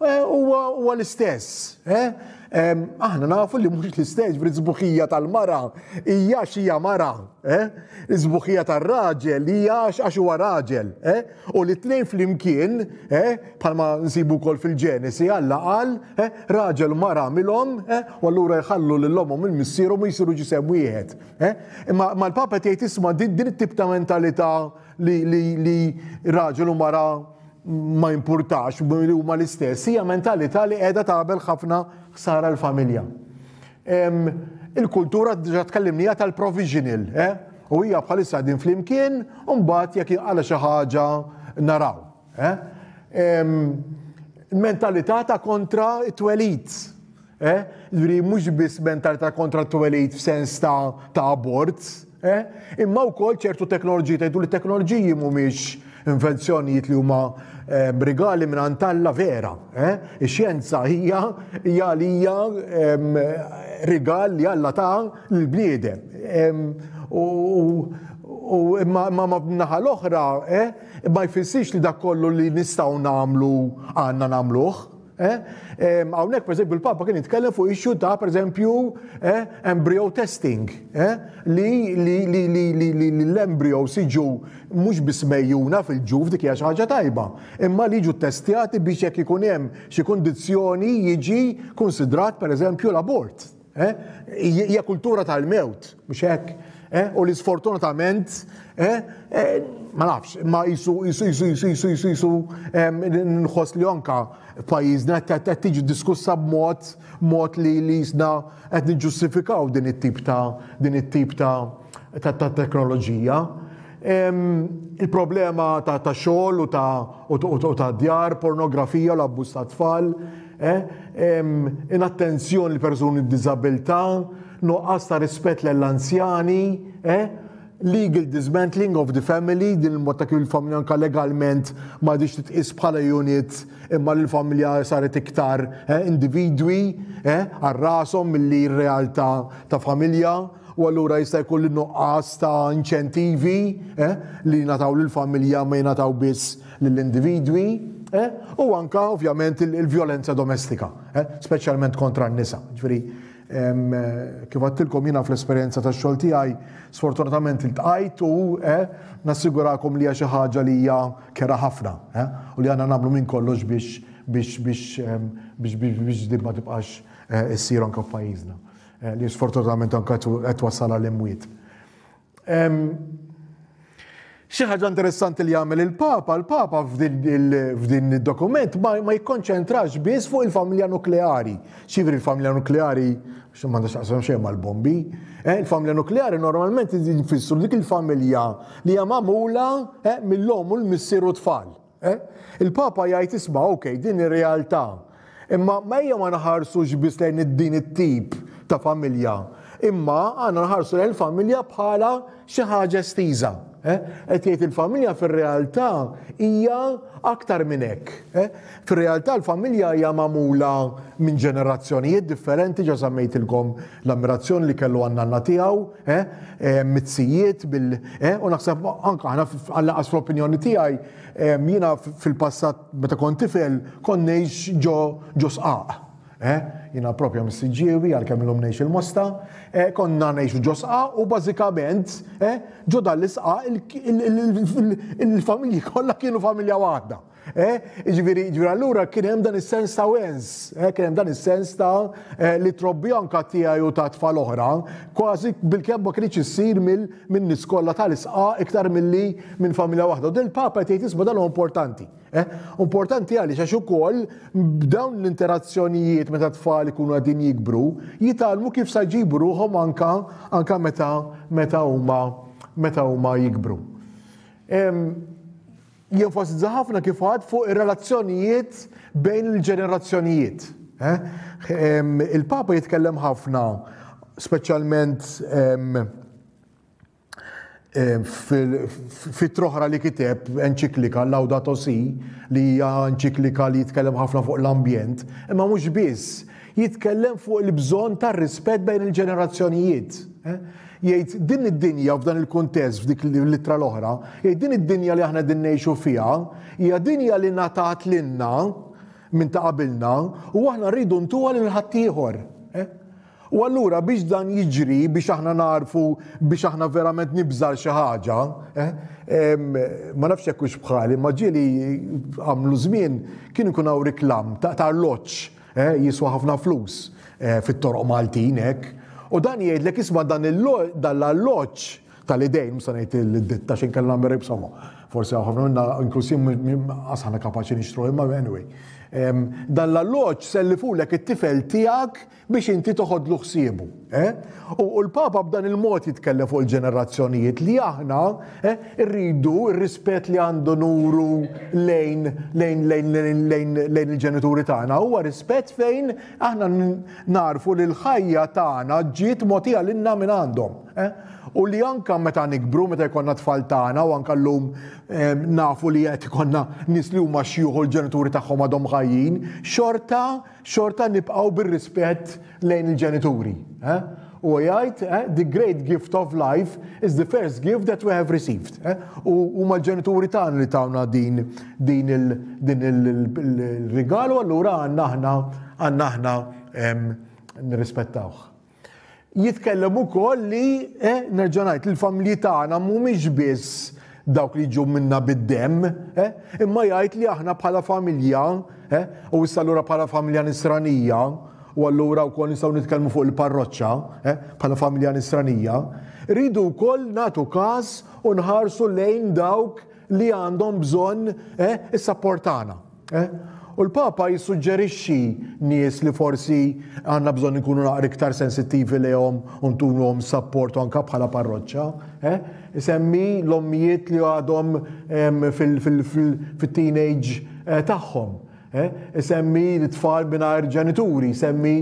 eh, huwa l-istess. Eh? Aħna nafu li mhux l-istess, ġifieri sbuħija tal-mara hija xi mara, eh? Is-sbuħija tar-raġel hija għax huwa raġel, eh? U li tnejn flimkien, eh, bħalma nsibu wkoll fil-Ġenesi, Alla qal, eh, raġel u mara għamilhom, eh, u allura jħallu lil ommhom il missierhom u jsiru ġisem wieħed. Eh? Imma ma l-Papa tgħid isma' din it-tip ta' mentalità li, li, li raġel u mara ma jimpurtax li huma l-istess, hija mentalità li qiegħda tagħmel ħafna ħsara l-familja. Il-kultura diġà tkellimnija tal-provisional, eh? U hija bħalissa qegħdin flimkien u mbagħad jekk jinqala' xi ħaġa naraw. Eh? Mentalità ta' kontra t-twelid. Eh? Ġifieri mhux biss mentalità kontra t-twelid f'sens ta' ta' abort, eh? Imma wkoll ċertu teknoloġiji tgħidu li teknoloġiji mhumiex invenzjonijiet li huma eh, rigali minn għand Alla vera. Eh? Ix-xjenza hija hija għalija rigal li Alla ta' lill-bniedem. U imma ma naħa l-oħra, eh, ma jfissirx li dak kollu li nistgħu nagħmlu għandna nagħmluh. Eh? Hawnhekk pereżempju l-Papa kien jitkellem fuq issue ta' pereżempju eh, embryo testing, eh, li li li li li li l-embryo siġu mhux biss mejjuna fil-ġuf dik hija xi ħaġa tajba, imma li jiġu testjati biex jekk ikun hemm xi kundizzjoni jiġi konsidrat pereżempju l-abort. Eh? Hija kultura tal-mewt, mhux hekk? Eh? U li sfortunatament, eh, ma nafx, ma jisu jisu jisu jisu jisu jisu jisu nħoss li anka pajjiżna qed tiġi diskussa b'mod mod li li jisna qed niġġustifikaw din it-tip ta' din it-tip ta' ta' teknoloġija. Il-problema ta' ta' xogħol u ta' u ta' djar, pornografija u l-abbuż ta' tfal, eh, inattenzjoni l persuni b'diżabilità, nuqqas ta' rispett lill-anzjani, eh, legal dismantling of the family, din il-mod ta' kif il-familja anka legalment ma għadix titqis bħala unit imma li l-familja saret iktar eh, individwi eh, għal rashom milli r-realtà ta' familja u allura jista' jkun li nuqqas ta' inċentivi eh, li jingħataw lill-familja ma jingħataw biss lill-individwi eh, u anka ovvjament il-vjolenza domestika, eh, speċjalment kontra n-nisa. Ġifieri, kif għedtilkom jiena fl-esperjenza tax-xogħol tiegħi sfortunatament iltqajt u eh, nassigurakom li hija xi ħaġa li hija kera ħafna eh, u li għandna nagħmlu minn kollox biex biex biex biex biex biex din ma tibqax eh, issir anke f'pajjiżna. Eh, li sfortunatament anke qed twassal għal imwiet. Xi ħaġa interessanti li jagħmel il-Papa, il-Papa f'din id-dokument ma jikkonċentrax biss fuq il-familja nukleari. Xivri il-familja nukleari m'għandha x'taqsam xejn mal-bombi. Eh, il-familja nukleari normalment jfissru dik il-familja li hija magħmula eh, mill-omm u l-missier u tfal. Eh? Il-Papa jgħid isma' ok, din ir-realtà. Imma ma ejja ma naħarsux biss lejn din it-tip ta' familja, imma għandna nħarsu lejn il-familja bħala xi ħaġa estiża. Eh? Qed jgħid il-familja fir-realtà hija aktar minn hekk. Eh? Fir-realtà l-familja hija magħmula minn ġenerazzjonijiet differenti, ġa semmejtilkom l-ammirazzjoni li kellu għan-nanna tiegħu, eh, eh, mizzijiet bil eh, u naħseb anka aħna għall-anqas fl-opinjoni tiegħi eh, jiena fil-passat meta kont tifel kont ngħix ġo ġo sqaq. Eh, jiena propja mis-Siġġiewi għalkemm illum ngħix il-Mosta, eh, konna ngħixu ġo sqaq u bażikament eh, ġo dan l-isqaq il-familji kollha kienu familja waħda. Eh, jiġifieri, jiġifieri allura kien hemm dan is-sens ta' wens, eh, kien hemm dan is-sens ta' eh, li trobbi anka tiegħi u ta' tfal oħra, kważi bilkemm ma kienx issir minn nies kollha tal-isqa iktar milli minn familja waħda. U din il-Papa qed jgħid isma' dan huwa importanti. Eh? Importanti għaliex għax ukoll b'dawn l-interazzjonijiet meta tfal ikunu qegħdin jikbru, jitgħallmu kif sa jġibu ruħhom anka anka meta meta huma meta huma jikbru. Jenfasizza ħafna kif għad fuq ir-relazzjonijiet bejn il-ġenerazzjonijiet. Eh? Il-Papa jitkellem ħafna, speċjalment fit-troħra li kiteb enċiklika Laudato Si, li hija enċiklika li jitkellem ħafna fuq l-ambjent, imma mhux biss, jitkellem fuq il-bżonn tar-rispett bejn il-ġenerazzjonijiet. Eh? Jgħid din id-dinja f'dan il-kuntest f'dik l-ittra l-oħra, jgħid din id-dinja li aħna din ngħixu fiha hija dinja li ngħatat lilna minn ta' qabilna u aħna rridu ntuha lil ħaddieħor. Eh? U allura biex dan jiġri, biex aħna narfu, biex aħna verament nibżar xi ħaġa, eh, ma nafx jekk hux bħali, ma ġieli għamlu żmien kien ikun hawn riklam ta' arloġġ Eh, jiswa ħafna flus eh, fit-toroq Maltin hekk. U dan jgħidlek isma' dan l-alloġġ tal-idejn, mhux se ngħid il-ditta xejn kellna nagħmel insomma. Forsi hawn ħafna minna inklusiv qas aħna kapaċi nixtru imma anyway. Dan l-alloġġ sellifulek it-tifel tiegħek biex inti toħodlu ħsiebu. Eh? U l-Papa b'dan il-mod jitkellem fuq il-ġenerazzjonijiet li aħna eh, rridu r-rispett li għandu nuru lejn lejn lejn lejn lejn il-ġenituri tagħna huwa rispett fejn aħna narfu li l-ħajja tagħna ġiet mogħtija lilna minn għandhom. Eh? U li anka meta nikbru, meta jkollna tfal tagħna u anka llum nafu li qed ikollna nies li huma xjuħu l-ġenituri tagħhom għadhom ħajjin, xorta xorta nibqgħu bir-rispett lejn il-ġenituri. Eh? U jgħid, eh, the great gift of life is the first gift that we have received. Eh? U huma l-ġenituri tagħna li tawna din din il-rigal u allura għandna aħna għandna aħna nirrispettawh. Jitkellem ukoll li, eh, nerġa' ngħid, il-familji tagħna mhumiex biss dawk li jiġu minna bid-demm, eh, imma jgħid li aħna bħala familja, eh, u issa allura bħala familja nisranija, u allura wkoll nistgħu nitkellmu fuq il-parroċċa, eh, bħala familja nisranija, rridu wkoll nagħtu każ u nħarsu lejn dawk li għandhom bżonn eh, is-sapport tagħna. Eh? U l-Papa jissuġġerixxi nies li forsi għandna bżonn inkunu naqra iktar sensittivi lejhom u ntuhom sapport anka bħala parroċċa. Eh? Isemmi l-ommijiet li għadhom fil-teenage eh, tagħhom. Eh? Isemmi l-tfal mingħajr ġenituri, isemmi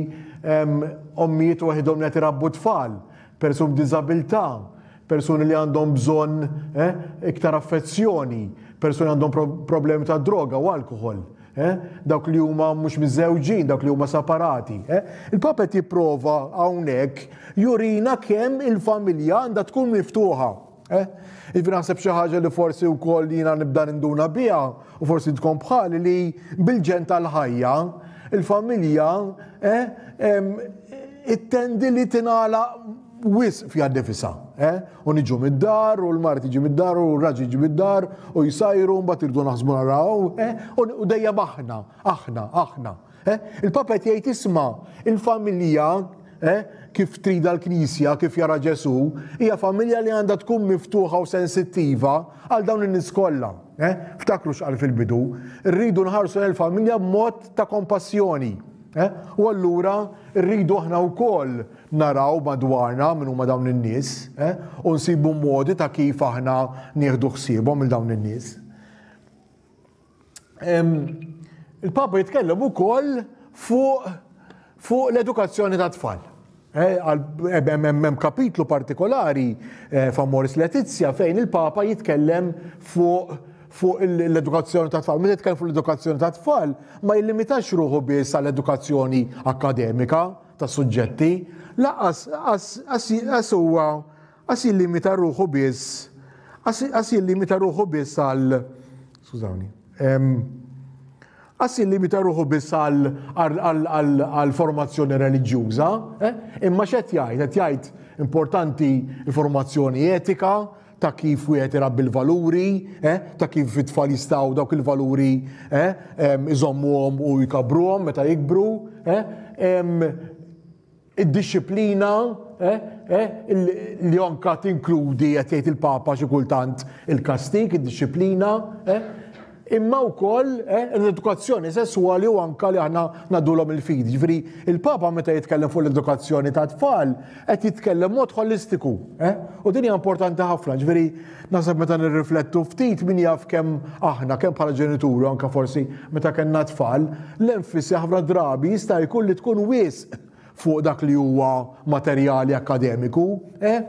ommijiet waħidhom li qed irabbu tfal, persuni b'diżabilità, persuni li għandhom bżonn eh, iktar affezzjoni, persuni għandhom problemi ta' droga u alkohol, eh, dawk li huma mhux miżewġin, dawk li huma separati. Eh. Il-Papa qed jipprova hawnhekk jurina kemm il-familja għandha tkun miftuħa. Eh? Ivi naħseb xi ħaġa li forsi wkoll jiena nibda ninduna biha u forsi tkun bħali li bil-ġen tal-ħajja il-familja eh, ittendi li tingħalaq wisq fiha nnifisha, eh? U niġu mid-dar, u l-mara tiġi mid-dar, u r-raġel jiġi mid-dar, u jsajru, mbagħad irdu naħsbu naraw, eh? U dejjem aħna, aħna, aħna. Eh? Il-Papa qed jgħid isma' il-familja eh, kif trida l-Knisja, kif jara Ġesu, hija familja li għandha tkun miftuħa u sensittiva għal dawn in-nies kollha. Eh? Ftakru x'qal fil-bidu, rridu nħarsu l-familja b'mod ta' kompassjoni. Eh? U allura rridu aħna wkoll naraw madwarna min huma dawn in-nies eh, u nsibu modi ta' kif aħna nieħdu ħsiebhom il dawn in-nies. Il-Papa jitkellem ukoll fuq fuq l-edukazzjoni ta' tfal. Eh, hemm kapitlu partikolari eh, f'Amoris Letizia fejn il-Papa jitkellem fuq fuq l-edukazzjoni ta' tfal. Meta jitkellem fuq l-edukazzjoni ta' tfal, ma jillimitax ruħu biss għall-edukazzjoni akkademika, ta' suġġetti, lanqas qas huwa qas jillimita ruħu biss qas jillimita ruħu biss għal skużawni qas jillimita ruħu biss għal formazzjoni reliġjuża, eh? imma x'qed jgħid? Qed jgħid importanti l-formazzjoni etika, ta' kif wieħed irabbi l-valuri, eh, ta' kif it-tfal jistgħu dawk il-valuri eh, iżommuhom u jkabruhom meta jikbru, eh, id-dixxiplina eh, eh, li anka tinkludi qed jgħid il-Papa xi kultant il-kastig, id-dixxiplina, eh, imma wkoll eh, l-edukazzjoni sesswali u anka li aħna nadulhom il-fidi. Ġifieri il-Papa meta jitkellem fuq l-edukazzjoni ta' tfal qed jitkellem mod holistiku, eh? U din hija importanti ħafna, ġifieri naħseb meta nirriflettu ftit min jaf kemm aħna kemm bħala ġenituri anka forsi meta kellna tfal, l-enfisi ħafna drabi jista' jkun li tkun wisq fuq dak li huwa materjali akkademiku, eh?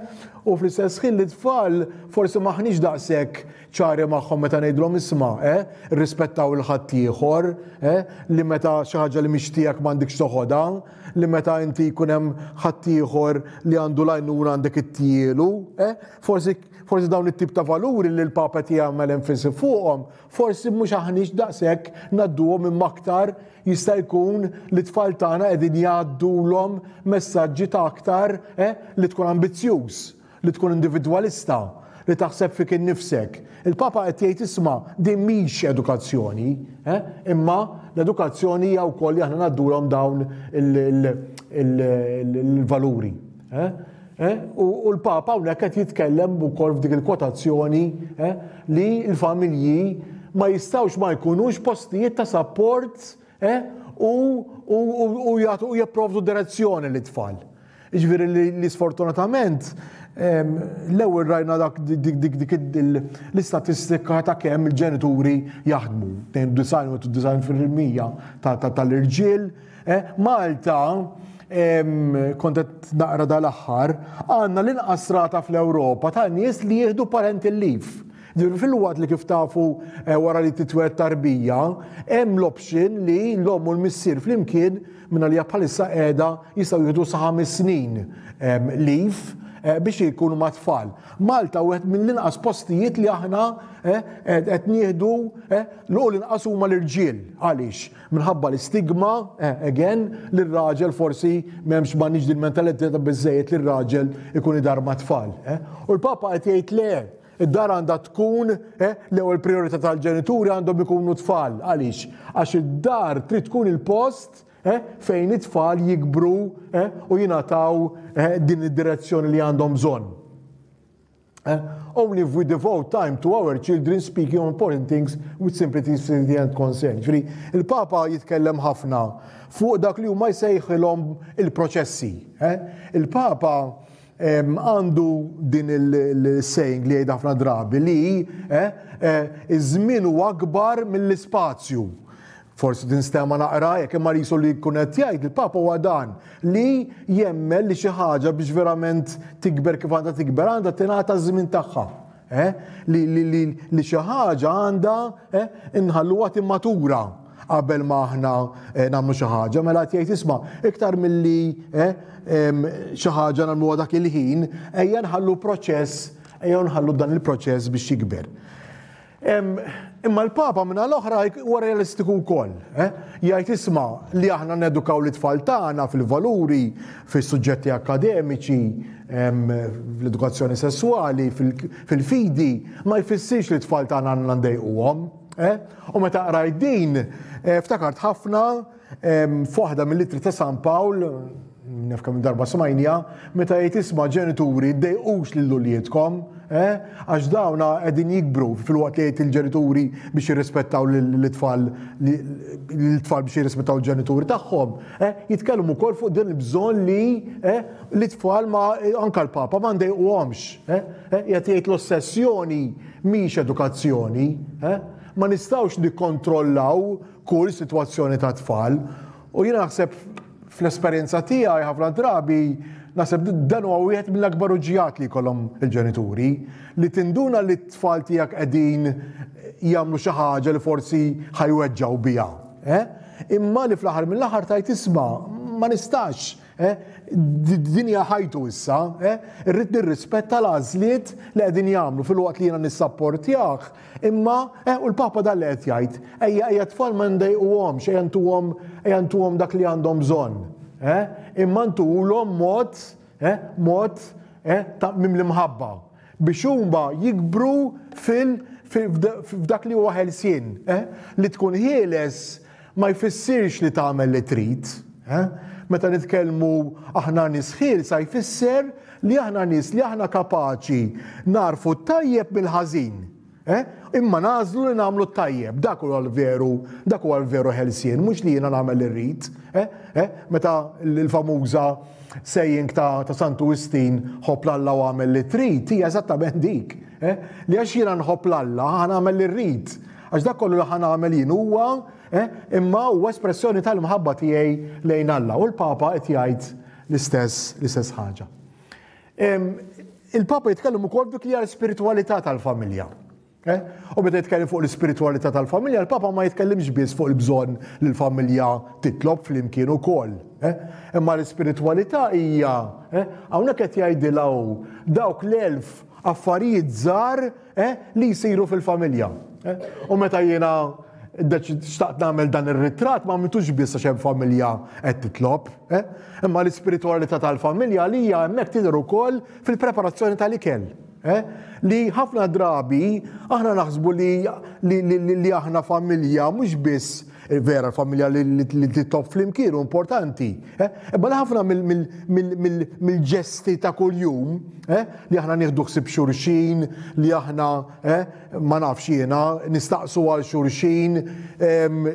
U fl-istess ħin li tfal forsi maħniex daqshekk ċari magħhom meta ngħidulhom isma', eh? Rispettaw il-ħaddieħor, eh? Li meta xi ħaġa li mhix tiegħek m'għandikx toħodha, li meta inti jkun hemm ħaddieħor li għandu l-għajnuna għandek ittielu, eh? Forsi forsi dawn it-tip ta' valuri li l-Papa qed jagħmel enfasi fuqhom, forsi mhux aħniex daqshekk ngħadduhom imma aktar jista' jkun li tfal tagħna qegħdin jgħaddulhom messaġġi ta' aktar eh, li tkun ambizzjuż, li tkun individwalista, li taħseb fik innifsek. Il-Papa qed jgħid isma' din mhix edukazzjoni, eh, imma l-edukazzjoni hija wkoll li aħna ngħaddulhom dawn il-valuri. Eh? Eh? U l-Papa hawnhekk qed jitkellem ukoll f'dik il-kwotazzjoni eh, li l-familji ma jistgħux ma jkunux postijiet ta' sapport eh, u, u, u, u jagħtu u jipprovdu direzzjoni lit-tfal. Jiġifieri li sfortunatament l-ewwel rajna dak dik l-istatistika ta' kemm il-ġenituri jaħdmu, 92% tal-irġiel. Eh, Malta kont qed naqra dal-aħħar, għandna l-inqas rata fl-Ewropa ta' nies li jieħdu parental leave. Filwaqt li kif tafu eh, wara li titweled tarbija, hemm l-option li l-omm u l-missier flimkien Minna li bħalissa qiegħda jistgħu jieħdu sa 5 snin leave biex jkunu ma' tfal. Malta wieħed mill-inqas postijiet li aħna qed nieħdu l l-inqas huma l-irġiel. Għaliex? Minħabba l-istigma, again, li r-raġel forsi m'hemmx m'għandniex din mentalità ta' biżejjed li r-raġel ikun idar ma' tfal. U l-Papa qed jgħid le, id-dar għandha tkun l-ewwel priorità tal-ġenituri għandhom ikunu tfal. Għaliex? Għax id-dar trid tkun il-post fejn it-tfal jikbru u jingħataw din id-direzzjoni li għandhom bżonn. Only if we devote time to our children speaking on important things with simplicity and concern. Ġifieri, il-Papa jitkellem ħafna fuq dak li huma jsejħilhom il-proċessi. Il-Papa għandu din il-saying li jgħid ħafna drabi li iż-żmien huwa akbar mill-ispazju. Forsi tinstema naqra jekk imma li li jkun qed jgħid il-Papa huwa dan li jemmen li xi ħaġa biex verament tikber kif għandha tikber għandha tingħata ż-żmien tagħha. Eh? Li, li, li, li xi ħaġa għandha eh, inħalluha timmatura qabel ma aħna eh, nagħmlu xi ħaġa, mela qed jgħid isma' iktar milli eh, xi ħaġa nagħmluha dak il-ħin, ejja nħallu proċess, ejja nħallu dan il-proċess biex jikber. Imma l-Papa minna l-oħra huwa realistiku wkoll. Eh? Jgħid isma' li aħna nedukaw l-itfal tagħna fil-valuri, fis-suġġetti akademiċi, fl-edukazzjoni sesswali, fil-fidi, ma jfissirx li t-tfal tagħna għandna ndejquhom. Eh? U meta qrajt din, eh, ftakart ħafna f'waħda mill-ittri ta' San Pawl, naf kemm darba smajnija, meta jgħid isma' ġenituri ddejqux lil uliedkom, eh, għax dawna qegħdin jikbru filwaqt li jgħid il-ġenituri biex jirrispettaw l-itfal l-tfal biex jirrispettaw il-ġenituri tagħhom, eh, jitkellmu wkoll fuq din il-bżonn li eh, l-itfal ma anka l-papa ma ndejquhomx. Eh, qiegħed jgħid l-ossessjoni mhix edukazzjoni. Eh? Ma nistgħux nikkontrollaw kull sitwazzjoni ta' tfal. U jiena naħseb fl-esperjenza tiegħi ħafna drabi naħseb dan huwa wieħed mill-akbar uġġijat li jkollhom il-ġenituri li tinduna li t-tfal tiegħek qegħdin jagħmlu xi ħaġa li forsi ħajweġġgħu biha. Eh? Imma li fl-aħħar mill-aħħar tajt isma' ma nistax Eh? Din hija ħajtu issa, eh? Irrid nirrispetta l-għażliet li qegħdin jagħmlu filwaqt li jiena nissapportjah, imma eh, u l-Papa dan li qed jgħid, ejja ejja tfal ma ndejquhomx, ejja ntuhom ejja ntuhom dak li għandhom bżonn. Eh? Imma ntuhulhom mod, eh, mod eh, ta' mimli mħabba biex huma jikbru fil f'dak li huwa ħelsien, eh? Li tkun ħieles ma jfissirx li tagħmel li trid. Eh? Meta nitkellmu aħna nies ħielsa jfisser li aħna nies li aħna kapaċi narfu t-tajjeb mill-ħażin. Eh? Imma nagħżlu li nagħmlu t-tajjeb, dak huwa l-veru, dak huwa l-veru ħelsien, mhux li jiena nagħmel li rrid. Eh? Eh? Meta l-famuża saying ta', ta Santu Wistin ħobb l-Alla u għamel li trid, hija eżattament dik. Eh? Li għax jiena nħobb l-Alla, ħa nagħmel li rrid. Għax dak kollu li ħa nagħmel jien huwa, eh, imma huwa espressjoni tal-imħabba tiegħi lejn Alla. U l-Papa qed jgħid l-istess l-istess ħaġa. Il-Papa jitkellem ukoll dik li hija l-ispiritwalità tal-familja. Eh? U meta jitkellem fuq l-ispiritwalità tal-familja, il-Papa ma jitkellimx biss fuq il-bżonn li l-familja titlob flimkien ukoll. Eh? Imma l-ispiritwalità hija, eh, hawnhekk qed jgħidilha hu dawk l-elf affarijiet żgħar eh, li jsiru fil-familja. Eh? U meta jiena xtaqt nagħmel dan ir-ritratt ma għamiltux biss għax hemm familja qed titlob, eh? Imma l-ispiritwalità tal-familja li hija hemmhekk tidher ukoll fil-preparazzjoni tal-ikel. Eh? Li ħafna drabi aħna naħsbu li, li, li, li aħna familja mhux biss vera l-familja li titlob flimkien u importanti. Eh? Imma li ħafna mill-ġesti ta' kuljum eh, li aħna nieħdu ħsieb xulxin, li aħna eh, ma nafx jiena nistaqsu għal xulxin,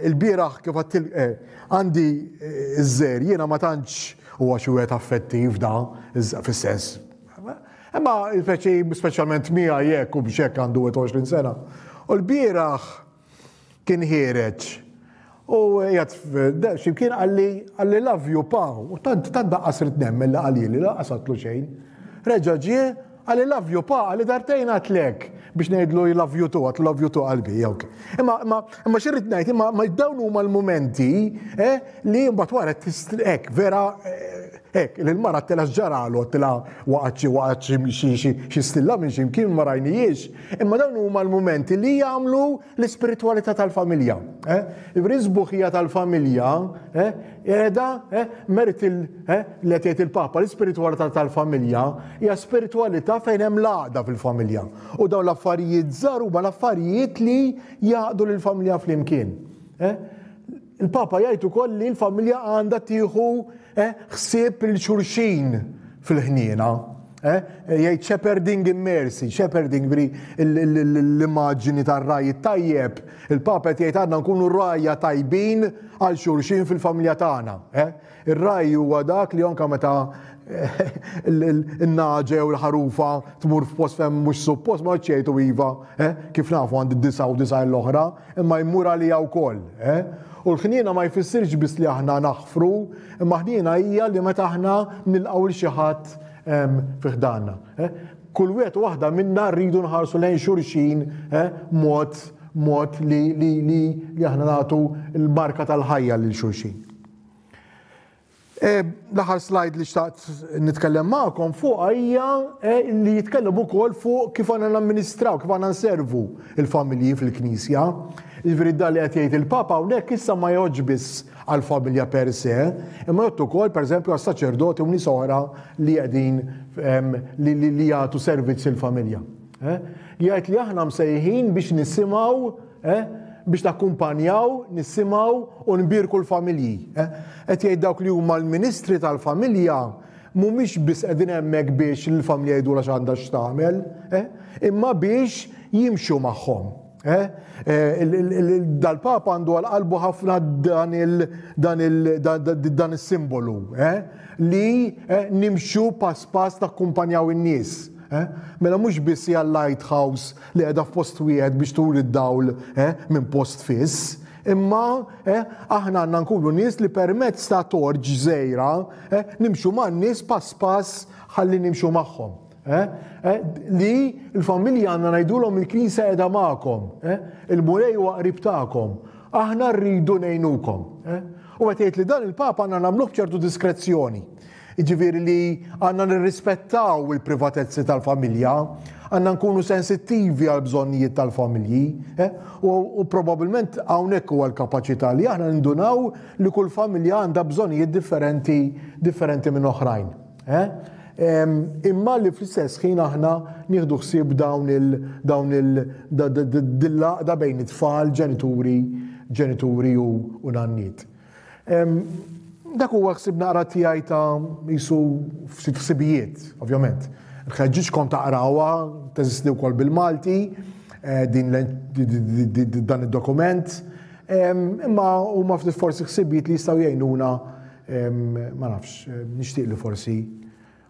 il-bieraħ kif għandi iż-żer jiena ma tantx huwa xi wieħed affettiv da, fis-sens. Imma speċjalment miegħi jekk u biex hekk għandu 21 sena. U l-bieraħ kien ħiereġ u jgħat ximkien għalli għalli love you pa u tant tant daqqas rid nemmen li qalili lanqas għatlu xejn. Reġa' ġie għalli love you pa għalli dartejn għatlek biex ngħidlu I love you too, għatlu love you too qalbi, ok. Imma imma imma xi ngħid, imma ma dawn huma l-mumenti eh, li mbagħad wara hekk vera eh, hekk li l-mara tela x'ġaralu tela waqgħet xi waqgħet xi xi stilla minn xi mkien ma rajnijiex. Imma dawn huma l-mumenti li jagħmlu l-ispiritwalità tal-familja. Eh? Il-sbuħija tal-familja eh, qiegħda eh, merit il li qed jgħid il-Papa, l-ispiritwalità tal-familja hija spiritwalità fejn hemm l-għaqda fil-familja. U dawn l-affarijiet żgħar huma l-affarijiet li jgħaqdu lill-familja flimkien. Il-Papa jgħid ukoll li l-familja għandha tieħu ħsieb lil xulxin fil-ħniena. Eh? Jgħid shepherding in mercy, shepherding bri l-immaġini tar-raj tajjeb. Il-Papa qed jgħid għandna nkunu rajja tajbin għal xulxin fil-familja tagħna. Eh? Ir-raj huwa dak li anka meta eh, il-naġa jew il-ħarufa tmur f'post fejn mhux suppost ma ċejtu iva, kif nafu għandi disa u disa l-oħra, imma jmur għalija wkoll. U l-ħniena ma jfissirx biss li aħna naħfru, imma ħniena hija li meta aħna nilqgħu 'l xi ħadd fi ħdanna. Eh? Kull wieħed u waħda minna rridu nħarsu lejn xulxin eh, mod mod li, li, li, li aħna nagħtu l-barka tal-ħajja lil xulxin. Eh, l-aħħar slide li xtaqt nitkellem magħkom fuq hija li jitkellem ukoll fuq kif għandna namministraw, kif għandna nservu il-familji fil-Knisja. Jiġifieri dan li qed jgħid il-Papa hawnhekk issa ma jgħoddx biss għall-familja per se, imma jgħodd ukoll pereżempju għas-saċerdoti u nies oħra li qegħdin li, li, li jagħtu servizz il-familja. Eh? Jgħid li aħna msejħin biex nisimgħu eh? biex nakkumpanjaw, nisimgħu u nbierku l-familji. Eh? Qed jgħid dawk li huma l-ministri tal-familja mhumiex biss qegħdin hemmhekk biex l-familja jgħidulha x'għandha x'tagħmel, eh? imma biex jimxu magħhom. Eh? Eh, dal-Papa għandu għal qalbu ħafna dan is-simbolu eh? li nimxu pass pass nakkumpanjaw in-nies. Mela mhux biss hija lighthouse li qiegħda f'post wieħed biex turi d-dawl minn post fiss, imma aħna għandna nkunu nies li permezz ta' torġ żgħira nimxu man-nies pass pass ħalli nimxu magħhom. Eh? Eh? Li l-familja għandna ngħidulhom il-Knisja qiegħda magħkom, eh? il-Mulej huwa qrib tagħkom, aħna rridu ngħinukom. U qed jgħid li dan il-Papa għandna nagħmluh b'ċertu diskrezzjoni. Jiġifieri li għandna nirrispettaw il-privatezzi tal-familja, għandna nkunu sensittivi għal bżonnijiet tal-familji, u, u probabbilment hawnhekk huwa l-kapaċità li aħna nindunaw li kull familja għandha bżonnijiet differenti differenti minn oħrajn. Eh? Imma li fl-istess ħin aħna nieħdu ħsieb dawn il dawn il dil-laqda bejn it-tfal, ġenituri, ġenituri u, u nanniet. Dak huwa ħsieb naqra tiegħi ta' jisu ftit ħsibijiet, ovvjament. Nħeġġiġkom taqrawha, teżisti wkoll bil-Malti, eh, din dan id-dokument. Imma huma ftit forsi ħsibijiet li jistgħu jgħinuna Ma nafx, nixtieq li forsi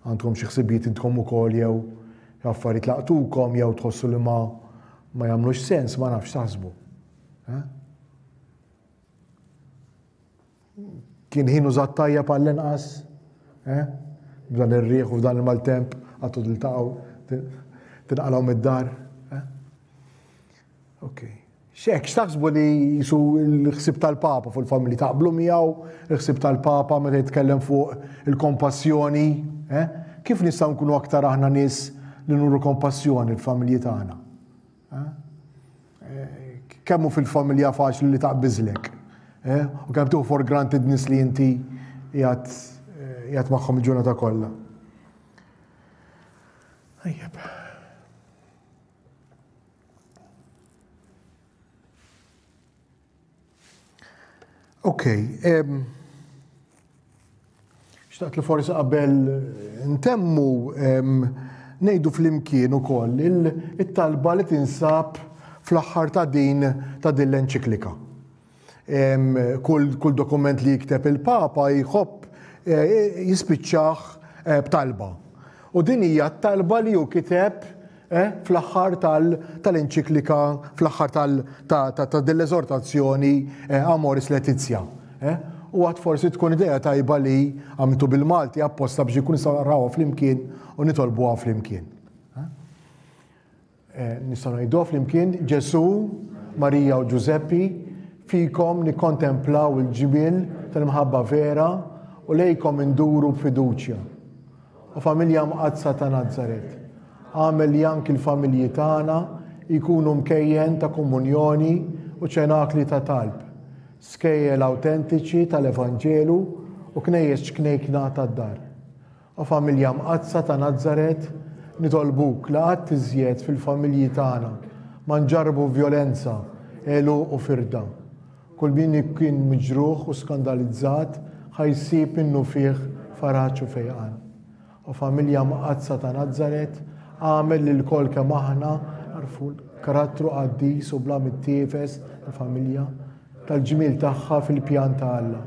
għandkom xi ħsibijiet intkom ukoll jew affarijiet laqtukom jew tħossu li ma ma jagħmlux sens, ma nafx taħsbu. Eh? Kien ħin użat tajjeb għall-inqas, eh? B'dan ir-riħ u f'dan il-maltemp għattu tiltaqgħu tinqalgħu mid-dar. Eh? Ok. X'hekk, x'taħsbu li jisu l-ħsieb tal-Papa fuq il-familji? Taqblu miegħu il-ħsieb tal-Papa meta jitkellem fuq il-kompassjoni? Eh? Kif nistgħu nkunu aktar aħna nies li nuru kompassjoni l-familji tagħna? Eh? eh kemm hu fil-familja faċli li taqbiżlek? Eh? U kemm tieħu for granted nies li inti qiegħed eh, magħhom il-ġurnata kollha. Ajjeb. Ok, xtaqt li forsi qabel ntemmu ngħidu flimkien ukoll it-talba li tinsab fl-aħħar ta' din ta' din l-enċiklika. Kull, kull dokument li jikteb il-Papa jħobb eh, jispiċċah eh, b'talba. U din hija t-talba li hu kiteb eh, fl-aħħar tal-enċiklika, fl-aħħar ta' din l-eżortazzjoni Amoris Laetitia. U għad forsi tkun idea tajba li għamiltu bil-Malti apposta biex ikun nistgħu naqrawha flimkien u nitolbuha flimkien. Eh, nistgħu ngħiduha flimkien, Ġesù, Marija u Ġużeppi, fikom nikkontemplaw il-ġmiel tal-imħabba vera u lejkom induru b'fiduċja. O familja mqaddsa ta' Nazaret, agħmel li anki l-familji tagħna jkunu mkejjen ta' komunjoni u ċenakli ta' talb, skejjel awtentiċi tal-Evanġelu u knejjes ċknejkna tad-dar. O Familja Mqaddsa ta' Nazaret, nitolbuk li qatt iżjed fil-familji tagħna ma nġarrbu vjolenza, għeluq u firda. Kull min kien miġruħ u skandalizzat ħa jsib minnufih faraġ u fejqan. O Familja Mqaddsa ta' Nazaret, agħmel li lkoll kemm aħna nagħrfu l-karattru qaddis u bla mittiefes tal-familja, tal-ġmiel tagħha fil-pjan ta' Alla.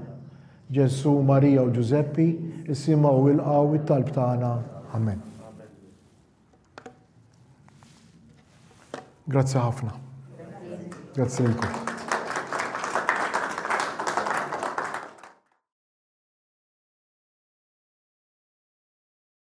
Ġesù, Marija u Ġużeppi, isimgħu u ilqgħu it-talb tagħna. Amen. Grazzi ħafna. Grazzi lilkom.